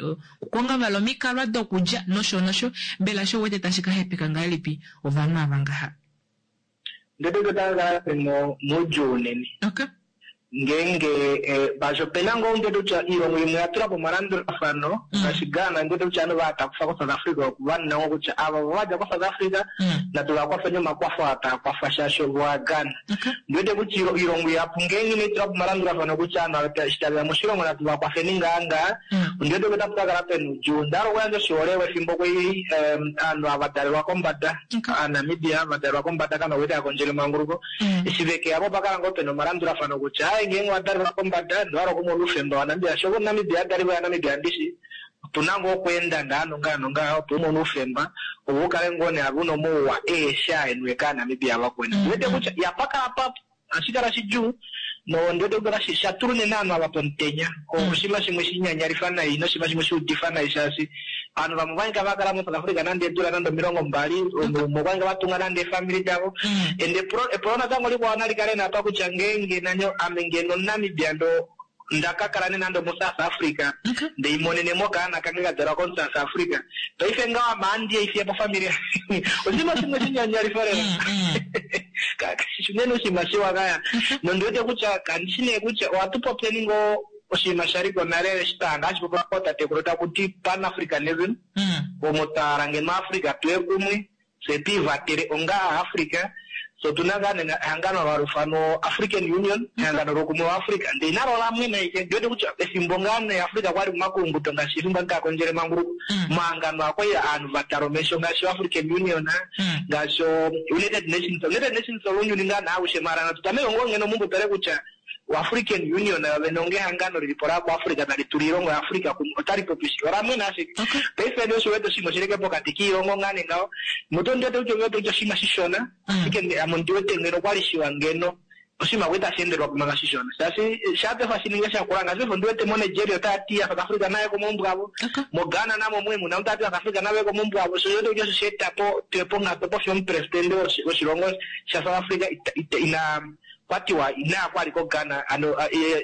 Okukonga vali omikalwa dokulya nosho nosho. Mbela osho u wete tashi ka hepeka ngahelipi ovanhu ava ngaha? Ndele otava kala ve moudjuu unene. Okay. Ngeenge ngaashi ope na ngoo ndele kutya oilongo imwe oya tula po omalandulafano ngaashi Ghana ndele kutya ovanhu va takufa koSouth Africa oku va nina ngoo kutya ava ovo va dja koSouth Africa natu va kwafeni omakwafo aa taa kwafa shaashi ovo Aaghana. Ondi wete kutya oilongo ihapu ngeenge inai tula po omalandulafano kutya ovanhu ava eshi tave ya moshilongo natu va kwafeni ngaa ngaa, ondi wete kutya otapu ka kala pe na oudjuu. Onda hala okuyandja oshiholelwa efimbo kwali ovanhu ava va dalelwa kombada, Aanamibia va dalelwa kombada kano kwali tava kondjele emanguluko, eshi ve ke ya po opa kala ngoo pe na omalandulafano kutya aaye ngeenge owa dalelwa kombada ndee owa hala okumona oufemba waNamibia shaashi ove Omunamibia a dalelwa yaNamibia ndishi, Otu na ngoo okweenda ngaa nongaa nongaa opo u mone oufemba ove u kale ngoo nee ave u na omauwa eeshe aa e niwe kAanamibia vakweni. Ondi wete kutya ihapa kala pa ohashi kala shidjuu nondi wete kutya otashi sha tula unene ovanhu ava pomutenya. Oshinima shimwe shi nyanyalifa nai noshinima shimwe shi udifa nai shaashi ovanhu vamwe okwa nyika va kala moSouth Africa nande eedula nande 20, umwe okwa nyika va tunga nande eefamili davo. And epulo epulo natango likwao nali kale nee apa kutya ngeenge nani ame ngeno omuNamibia ndoo Nda ka kala nee nande omoSouth Africa, nde imonene mo okaana kange ka dalwa komuSouth Africa. Paife ngaho ame ohandi ya ifiya po ofamili yange. Oshinima shimwe shinyanyalifa lela. Kashi shi unene oshinima shiwa kaya. Nondi wete kutya kandi shi nee kutya ohatu popyeni ngoo oshinima sha li ko nale eshi twa hanga hashi popiwa kootatekulu taku ti Pan-Africanism, omo twa hala ngeno Africa tuye kumwe, Fye twi ivatele onga Aafrica, fye otu na ngaa nena ehangano olo hali ifanwa African Union, ehangano loukumwe waAfrica, ndele inalo ola mwena ashike. Ondi wete kutya efimbo ngaa nee Africa kwali momakulunguto ngaashi efimbo ovanhu tava kondjele emanguluko, omahangano aa okwali ovanhu va tala omesho ngaashi oAfrican Union, ngaashi oUnited Nations. United Nations olounyuni ngaa nee aushe, maala natu tameke ngoo ngeno omuumbo tale kutya OAfrican Union yo vene onga ehangano lili po lakuAfrica tali tula oilongo yaAfrica kumwe otali popi shike? Ola mwena ashike. Paife nee osho wete oshinima oshili ashike pokati kiilongo ngaa nee ngaho. Mutu ondi wete kutya ondi wete kutya oshinima shishona, ashike ame ondi wete ngeno okwali shiwa ngeno oshinima kwali tashi endelwa po manga shishona. Shaashi shaa paife hashi ningi shakula ngaashi paife ondi wete moNigeria otaya ti South Africa naye komaumbo avo, moGhana namo omo mu na otava ti South Africa nave komaumbo avo. Sho osho wete kutya osho sha eta po tuye ponghatu opo fiyo omupresidente woshilongo shaSouth Africa ina Kwa tiwa inaya kwa li ko Ghana ano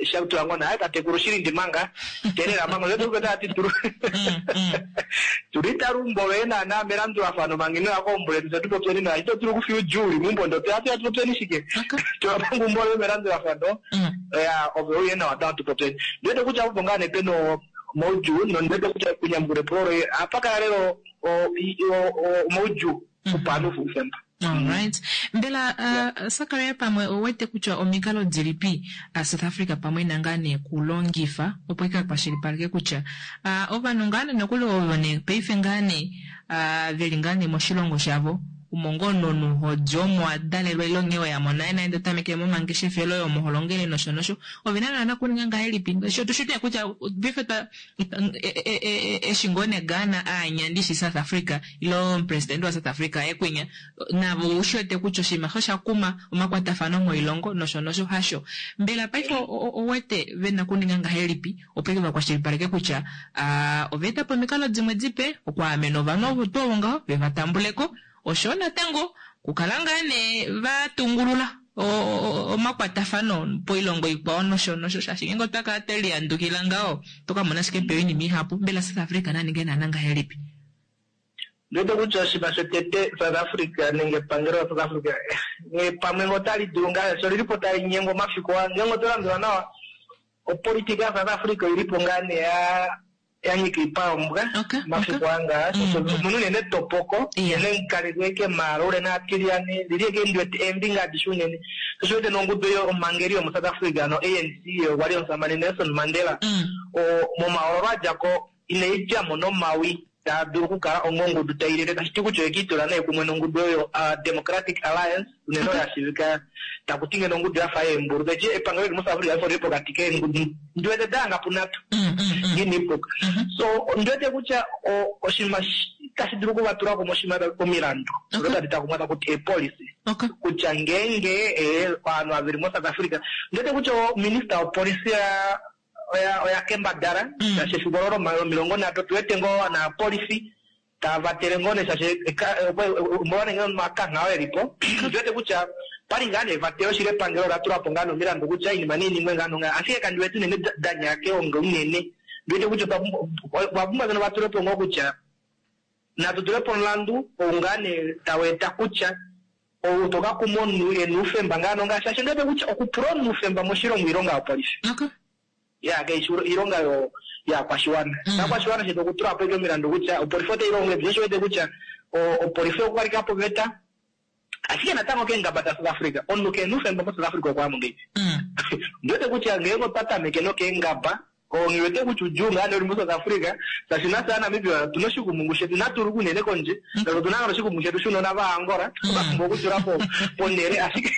sha tula ngoo naye tatekulu shilindi manga teelela manga osho tuu tati tulu tuli talumbo loye naana melandulafano manga ino ya keumbo letu fye tu popyeni nawa ito dulu okufiya oudjuu uli meumbo ndo fye atu popyeni shike tula manga eumbo loye melandulafano ya ove uye nawa tango tu popyeni ndi wete kutya opo ngaa nee pena omaudjuu nondi wete kutya kunyamukula epulo loye ohapa kala lela omaudjuu kupa ovanhu oufemba. Alright. Mbela uh, Sakaria pamwe ou wete kutya omikalo dilipi uh, South Africa pamwe ina ngaa nee kulongifa opo ika kwashilipaleke kutya uh, ovanhu ngaa nee nokuli ovo nee paife ngaa nee uh, veli ngaa nee moshilongo shavo omo ngoo nonhu hodi omo wa dalelwa ile onghee weya mo naye naye ndee tamekele momangeshefelo omo ho longele nosho nosho ove na naana kuninga ngahelipi ngaashi otu shi tuu kutya paife twa Eshi ngoo ne Ghana aanya ndishi South Africa ile omupresidente waSouth Africa aye kwinya, navo oushi wete kutya oshinima osho osha kuma omakwatafano moilongo nosho nosho hasho. Mbela paife owete ve na okuninga ngahelipi opo eke va kwashilipaleke kutya ova eta po omikalo dimwe dipe okwaamena ovanhu ovo tuu ovo ngaho ve va tambule ko oshoyo natango okukala ngaa nee va tungulula? Omakwatafano poilongo ikwao nosho nosho, shaashi ngeenge otwa kala twe lihandukila ngaho, oto ka mona ashike pewa oinima ihapu. Mbela South Africa na ninge naana ngahelipi? Ndiwete kutya oshinima shotete South Africa nenge epangelo la South Africa nghee pamwe ngee otali dulu ngaa shaashi olili po tali nyengwa omafiku aa ngeenge oto landula nawa opolitika ya South Africa oili po ngaa nee ya ya nyika oipa yombwa omafiku aa ngaa shaashi omuna unene etopoko unene kalili ashike maala unene aatilyane lili ashike ndiwete eembinga adishe unene sho osho uwete nongudu yomhangeli yomo South Africa ano ANC okwali omusamane Nelson Mandela momahoololo adjako inai dja mo nomawi taa dulu okukala ongongudu tai lele, tashi ti kutya oye ke itula nee kumwe nongudu oyo Democratic Alliance, unene oyo ya shiivika taku ti ngeno ongudu ya fa yeembulu. Tashi ti epangelo li li moSouth Africa paife oli li pokati keengudu ndi wete da hanga punhatu, ngee inai puka. So, ondi wete kutya oshinima tashi dulu oku va tula kumwe oshinima omilandu odo tadi takumwa taku ti eepolicy, kutya ngeenge ovanhu ava ve li moSouth Africa, ondi wete kutya ominista yopolisi ya oya oya kembadala shaashi efiku olo lomilongo nhatu otu wete ngoo naapolifi tava vatele ngoo nee shaashi omolwa nee omakangha oo elipo otu wete kutya pali ngaa nee evatelo shili epangelo ola tula po ngaa nee omilandu kutya oinima nei ningwe ngaa nongaa ashike kandi wete unene da nyaya keonga unene ndi wete kutya otwa pumbwa ngeno va tule po ngoo kutya natu tule po omulandu ou ngaa nee tau eta kutya Ou to ka kuma omunhu e na oufemba ngaa nongaa shaashi ondi wete kutya okupula omunhu oufemba moshilongo oilonga yopolifi. Ya kai shi oilonga yo yaakwashiwana. Ovakwashiwana shetu okutula po ashike omilandu kutya opolifi otai longo ngahelipi shoo osho wete kutya opolifi okukaleka po oveta ashike natango keengaba da South Africa omunhu kehe na oufemba mo South Africa okwaya mo ngahelipi. Ondi wete kutya ngeenge otwa tameke nokeengaba Nghi wete kutya udjuu ngaa nee uli mo South Africa shaashi nafye aaNamibia otuna oshikumungu shetu inatu luka unene kondje shaashi otuna ngaa oshikumungu shetu shounona vaAngola twa pumbwa okutula po ponhele ashike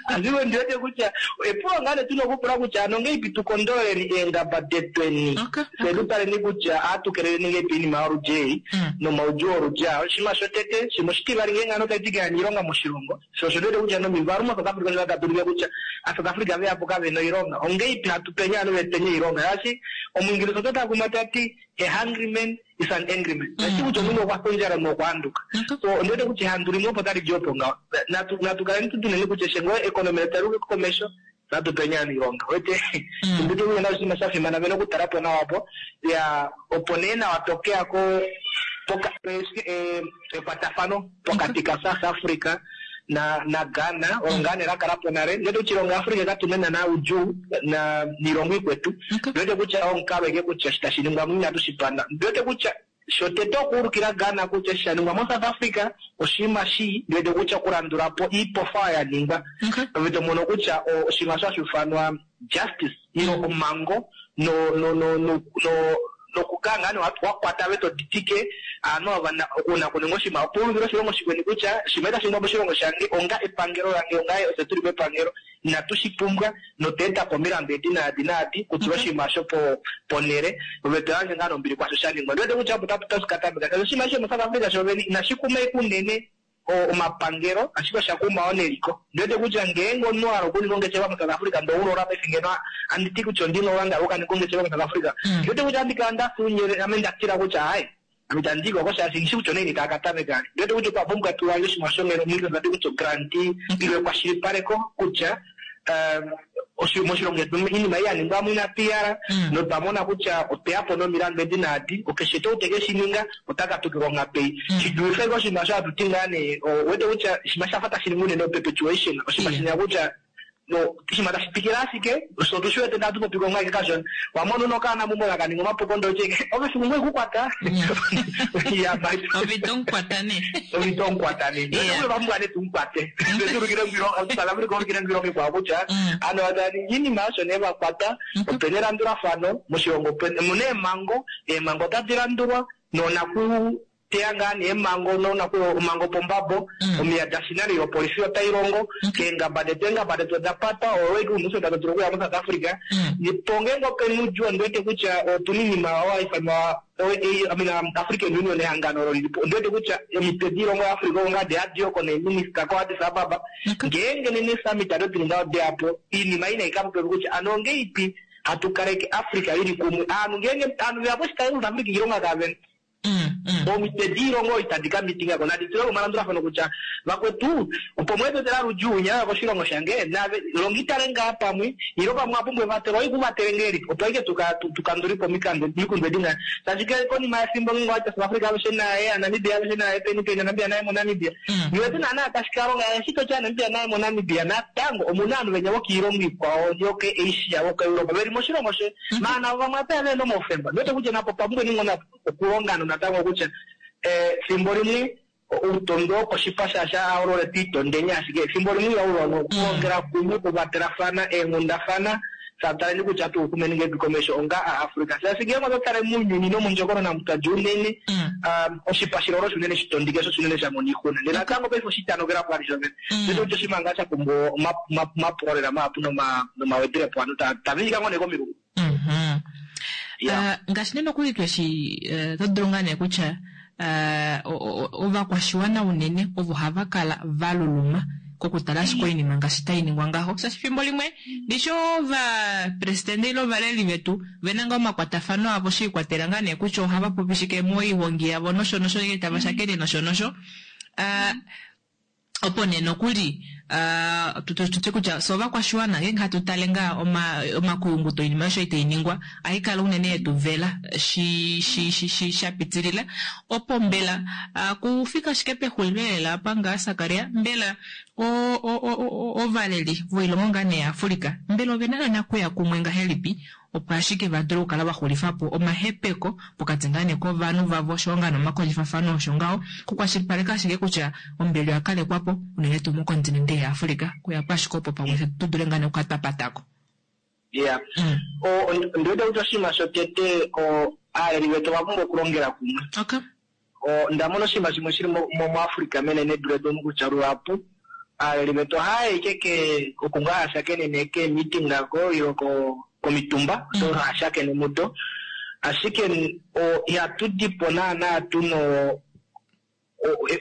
ashike ondi wete kutya epulo ngaa nee tuna okupula kutya ano ongeipi tu kondololeni eengaba detweni fye tu taleni kutya ohatu keleleni ngeipi oinima yoludi ei nomaudjuu oludi aa oshinima shotete shimwe oshitivali ngeenge ovanhu otava ti kehana oilonga moshilongo Sho osho ndi wete kutya nomivalu moSouth Africa osho tadi ulike kutya aaSouth Africa veyapo kavena oilonga. Ongeipi hatu peni ovanhu vetu oilonga? Shaashi Omuingilisa ota takuma ta ti a hungry man is an angry man. Tashi ti kutya omunhu okwa fya ondjala omunhu okwa handuka. So ondi wete kutya ehandu limwe opo tali di opo ngaho. Natu natu kaleni tu tuneni kutya eshi ngoo economy letu tali uka komesho natu peni ovanhu oilonga. Uwete? Ondi wete kutya nasho oshinima sha fimana vena okutala po nawa opo. Ya opo nee nawa tokeya ko poka ekwatafano pokati ka South Africa na na Ghana olo ngaa nee la kala po nale. Ndi wete kutya oilongo ya Africa katu na naana oudjuu na niilongo ikwetu. Ndi wete kutya omukalo ashike kutya eshi tashi ningwa mo inatu shi panda. Ndi wete kutya shotete okuulukila Ghana kutya eshi sha ningwa mo South Africa oshinima shii. Ndi wete kutya okulandula po iipofa oyo ya ningwa ove to mono kutya oshinima osho hashi ufanwa justice ile omhango no no no no no nokukala ngaa nee wa kwata ove to ditike aanhu ava una kuninga oshinima opo u ulukile oshilongo shikweni kutya oshinima itashi ningwa moshilongo shange onga epangelo lange onga ofye tuli mepangelo inatu shi pumbwa notwa eta po omilandu edi naadi naadi kutula oshinima osho po ponhele ove to yandje ngaa nee ombili kwaasho sha ningwa. Ondi wete kutya opo tashi ka tameka shaashi oshinima eshi shomoSouth Africa shoovene inashi kuma ashike unene omapangelo ashike osha kuma wo neliko. Ondi wete kutya ngeenge omunhu wa hala okuninga ongeshefa moSouth Africa ndee oulola paife ngeno handi ti kutya ondi na oulanda woku ka ninga ongeshefa moSouth Africa, ondi wete kutya ohandi kala nda fya unyele ame nda tila kutya aaye ame itandi i ko oko shaashi nghishi kutya onaini taa ka tameka. Ondi wete kutya otwa pumbwa tu yandje oshinima shonghelo omunhu ta ti kutya oguarantee ile ekwashilipaleko kutya Moshilongo shetu iinima ei ya ningwa mo inatu i hala, notwa mona kutya otwe ya po nomilandu edi naadi, okeshe tuu te ke shi ninga ota katukilwa onghatu ei. Shi dulife ashike oshinima osho hatu ti ngaa nee, ou wete kutya oshinima sha fa tashi ningwa unene operpetuation, oshinima shinya kutya oshinima tashi twikile ashike, fye otu shi wete ndee ohatu popi ko ngaa ashike kashona. Wa mona una okaana meumbo taka ningi omapuko ndee oti ashike ove fiku ngoo ikukwata. Yeah, but Ove ito mukwata nee. Ove ito mukwata nee. Ndee otwa pumbwa nee tumukwate. Tse tu ulukile South Africa ulukile iilongo ikwao kutya aantu ava taya ningi iinima osho nee va kwata. Opena elandulafano moshilongo, omuna eemhango, eemhango otadi landulwa noonaku teya ngaa nee eemhango noonaku omhango pombambo, omiya da shinane opolifi otai longo, keengaba detu eengaba detu oda patwa, owe wete uuna to dulu okuya moSouth Africa. Po ngeenge opena oudjuu ondi wete kutya otuna iinima oyo hai ifanwa I mean, African Union ehangano olo lili po. Ondi wete kutya omitwe diilongo yaAfrica oko ngaa deya diye oko neeminista koAddis Ababa. Ngeenge nena eesummit ado dili ngaho deya po, iinima ei nai ka popiwe kutya ano ongeipi hatu kaleke Africa lili kumwe. Aanhu ngeenge aanhu veya po shitayi kuSouth Africa iilonga kavena. Omitwe diilongo itadi ka mitinga ko nadi tule omalandulafano kutya vakwetu opo mweetotela ludjuu winya koshilongo shange nave longitale ngaa pamwe ilo pamwe apumbwa evatelo oikuvatele ngelipi opo aike tukandulipo omikundu edi ngaa shaashi ke konima yefimbo ngeenge owati South Africa alushe naye Namibia alushe naye peni peni Namibia naye moNamibia niwete naana tashi ka longa eshi toti Namibia naye moNamibia natango omuna ovanhu venya vokiilongo ikwao yokeAsia vokoEuropa veli moshilongo she maana navo vamwe apeya vena omaufemba niwete kutya napo opwa pumbwa ningo okulonga natango kutya efimbo limwe outondo wokoshipa shaashi aholole twiitondeni ashike efimbo limwe ihaulongo okulongela kumwe okukwatelafana eenghundafana sataleni kutya atuukumeni ngelipi komesho onga aAfrica shaashi ngeenge oto tale mounyuni nomondjokonona mutwadja unene oshipa shilolo osho unene shitondike sho unene shamona oixuna ndee natango paife oshitanokela po vali shovene ndee kutya oshinima ngaa shapumbwa omapulo lela mahapu nomawedilepo ovanhu taviika ngoo nee komilungu. Ngaashi nee nokuli tweshi oto dulu ngaa nee kutya ovakwashiwana unene ovo hava kala va luluma kokutala ashike oinima ngaashi tai ningwa ngaho, shaashi efimbo limwe ndishi ovapresidente ile ovaleli vetu ve na ngaa omakwatafano avo she ikwatela ngaa nee kutya ohava popi shike moihongi yavo nosho nosho ngeenge tava shakene nosho nosho. Opo nee nokuli tu tye kutya fye ovakwashiwana ngeenge hatu tale ngaa omakuyunguto oinima osho itai ningwa ohai kala unene yetu vela shi shi shi shi sha pitilila. Opo mbela kufika ashike pexulilo lela apa ngaa Sakaria, mbela ovaleli voilongo ngaa nee yaAfrica mbela ovena naana kuya kumwe ngahelipi opo ashike va dule okukala va xulifa po omahepeko pokati ngaa nee kovanhu vavo oshoyo ngaa nee omakondjifafano osho ngaho, okukwashilipaleka ashike kutya ombili oya kalekwa po unene tuu mokontinente yaAfrica, kuya po ashike opo pamwe fye tu dule ngaa nee okukala twa patako. Yeah. Ondi wete kutya oshinima shotete aaleli vetu ova pumbwa okulongela kumwe. Okay. Onda mona oshinima shimwe shili muAfrica menenedu letu omu kutya luhapu aaleli vetu ohaya yi ashike oku ngaa haya shakenene keemeeting ko ile komitumba odo haya shakene mudo, ashike ihatu di po naana tuna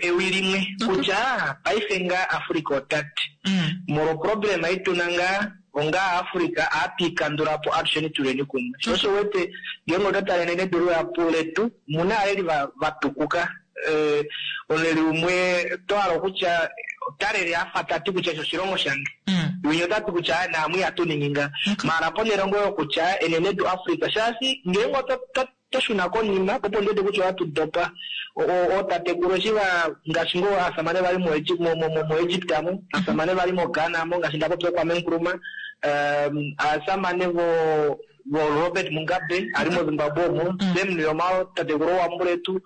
ewi limwe kutya paife ngaa Africa ota ti molwa oproblema ei tuna ngaa onga Africa ohatu i kandula po atusheni tuleni kumwe. Sho osho wete ngeenge oto tale enenedu luhapu letu omuna aaleli va tukuka. Omuleli umwe oto hala okutya ota lele afa tati kutya eshi oshilongo shange. Winya ota ti kutya naamwe ihatu ningi nga. Maala ponhele ngoo yokutya enenedu Africa shaashi ngeenge oto to shuna konima, opo ndi wete kutya ohatu dopa. Ootatekulu eshi va, ngaashi ngoo aasamane va li moEgypt amu, aasamane va li moGhana mo, ngaashi nda popya Kwame Nkrumah, aasamane vo, vo Robert Mugabe a li moZimbabwe omo, Sam Nujoma tatekulu wambuletu,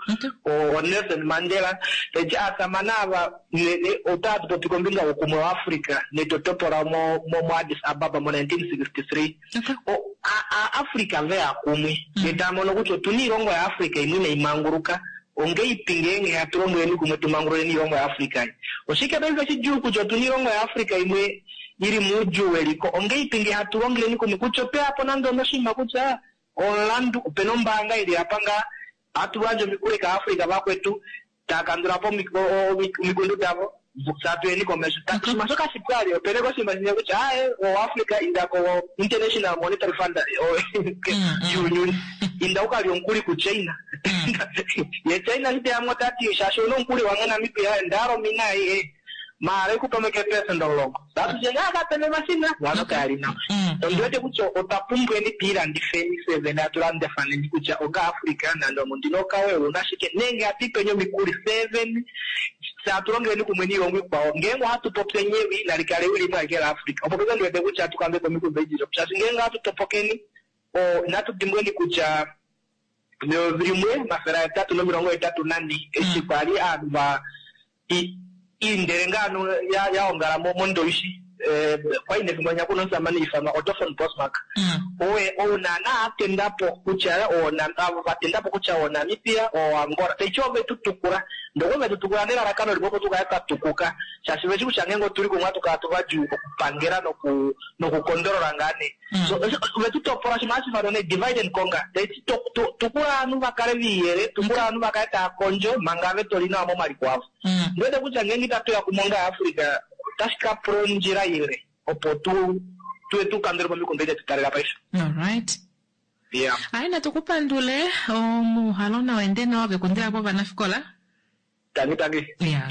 o Nelson Mandela. Taiti aasamane ava otatu popi kombinga youkumwe waAfrica netotopo lao mo, mo Addis Ababa mo 1963. Aafrica ve ya kumwe ndee tava mono kutya otuna iilongo yaAfrica imwe inayi manguluka, ongeipi ngeenge hatu longeleni kumwe tu mangululeni iilongo yaAfrica ei? Oshike paife shidjuu kutya otuna iilongo yaAfrica imwe ili muudjuu weliko, ongeipi ngee hatu longeleni kumwe kutya otweya po nande onoshinima kutya omulandu, opena ombaanga ili apa ngaa hatu gandja omikuli kAafrica vakwetu taya kandula po omikundu davo, fye atuyeni komesho. Oshinima shoka shipu ali, opena eke oshinima shimwe kutya aaye oAfrica inda ko International Monetary Fund yuunyuni, inda uka lye omukuli kuChina. Ye China shi teya mo ota ti shaashi ouna omukuli wange Namibia, onda hala omina ei, maala ikupe mo eke eepelesenda 10. Tatu ngaa kapena omashina ovanhu kaya li nawa. Ondi wete kutya otwa pumbweni tu ilandifeni fye vene hatu landafaneni kutya onga Africa nande ondi na okawe ouna shike nenge hatu ipeni omikuli fye vene fye hatu longeleni kumwe niilongo ikwao ngeenge ohatu popyeni ewi nali kale ewi limwe alike la Africa opo paife ndi wete kutya hatu kandule po omikundu edi shaashi ngeenge ohatu topokeni inatu dimbweni kutya meyovi limwe 884 eshi kwali ovanhu va Iindele ngaa ano ya ongala mOndowishi, kwali nefimbo linya kuna omusamane ifanwa Otto von Bismarck. Oye ou naana a tenda po kutya avo va tenda po kutya o Namibia, o Angola. Taiti ove tu tukula. Ndee okwe ve tu tukula nelalakano limwe opo tu kale twa tukuka. Shaashi veshi kutya ngeenge otuli kumwe ohatu kala tuvadjuu okupangela noku nokukondolola ngaa nee. So ove tu topola oshinima hashi ifanwa nee divide and conquer. Taiti tukula ovanhu va kale viiyele, tukula ovanhu va kale tava kondjo manga ave toli nawa momaliko avo. Ondi wete kutya ngeenge itatu ya kumwe onga Africa otashi ka pula ondjila ile opo tu tuye tu kandule po omikundu edi detu taalela paife. Alright. Yeah. Ai natu ku pandule omuuhalo nau ende nawa kekundila povanafikola. Tangi tangi. Ya.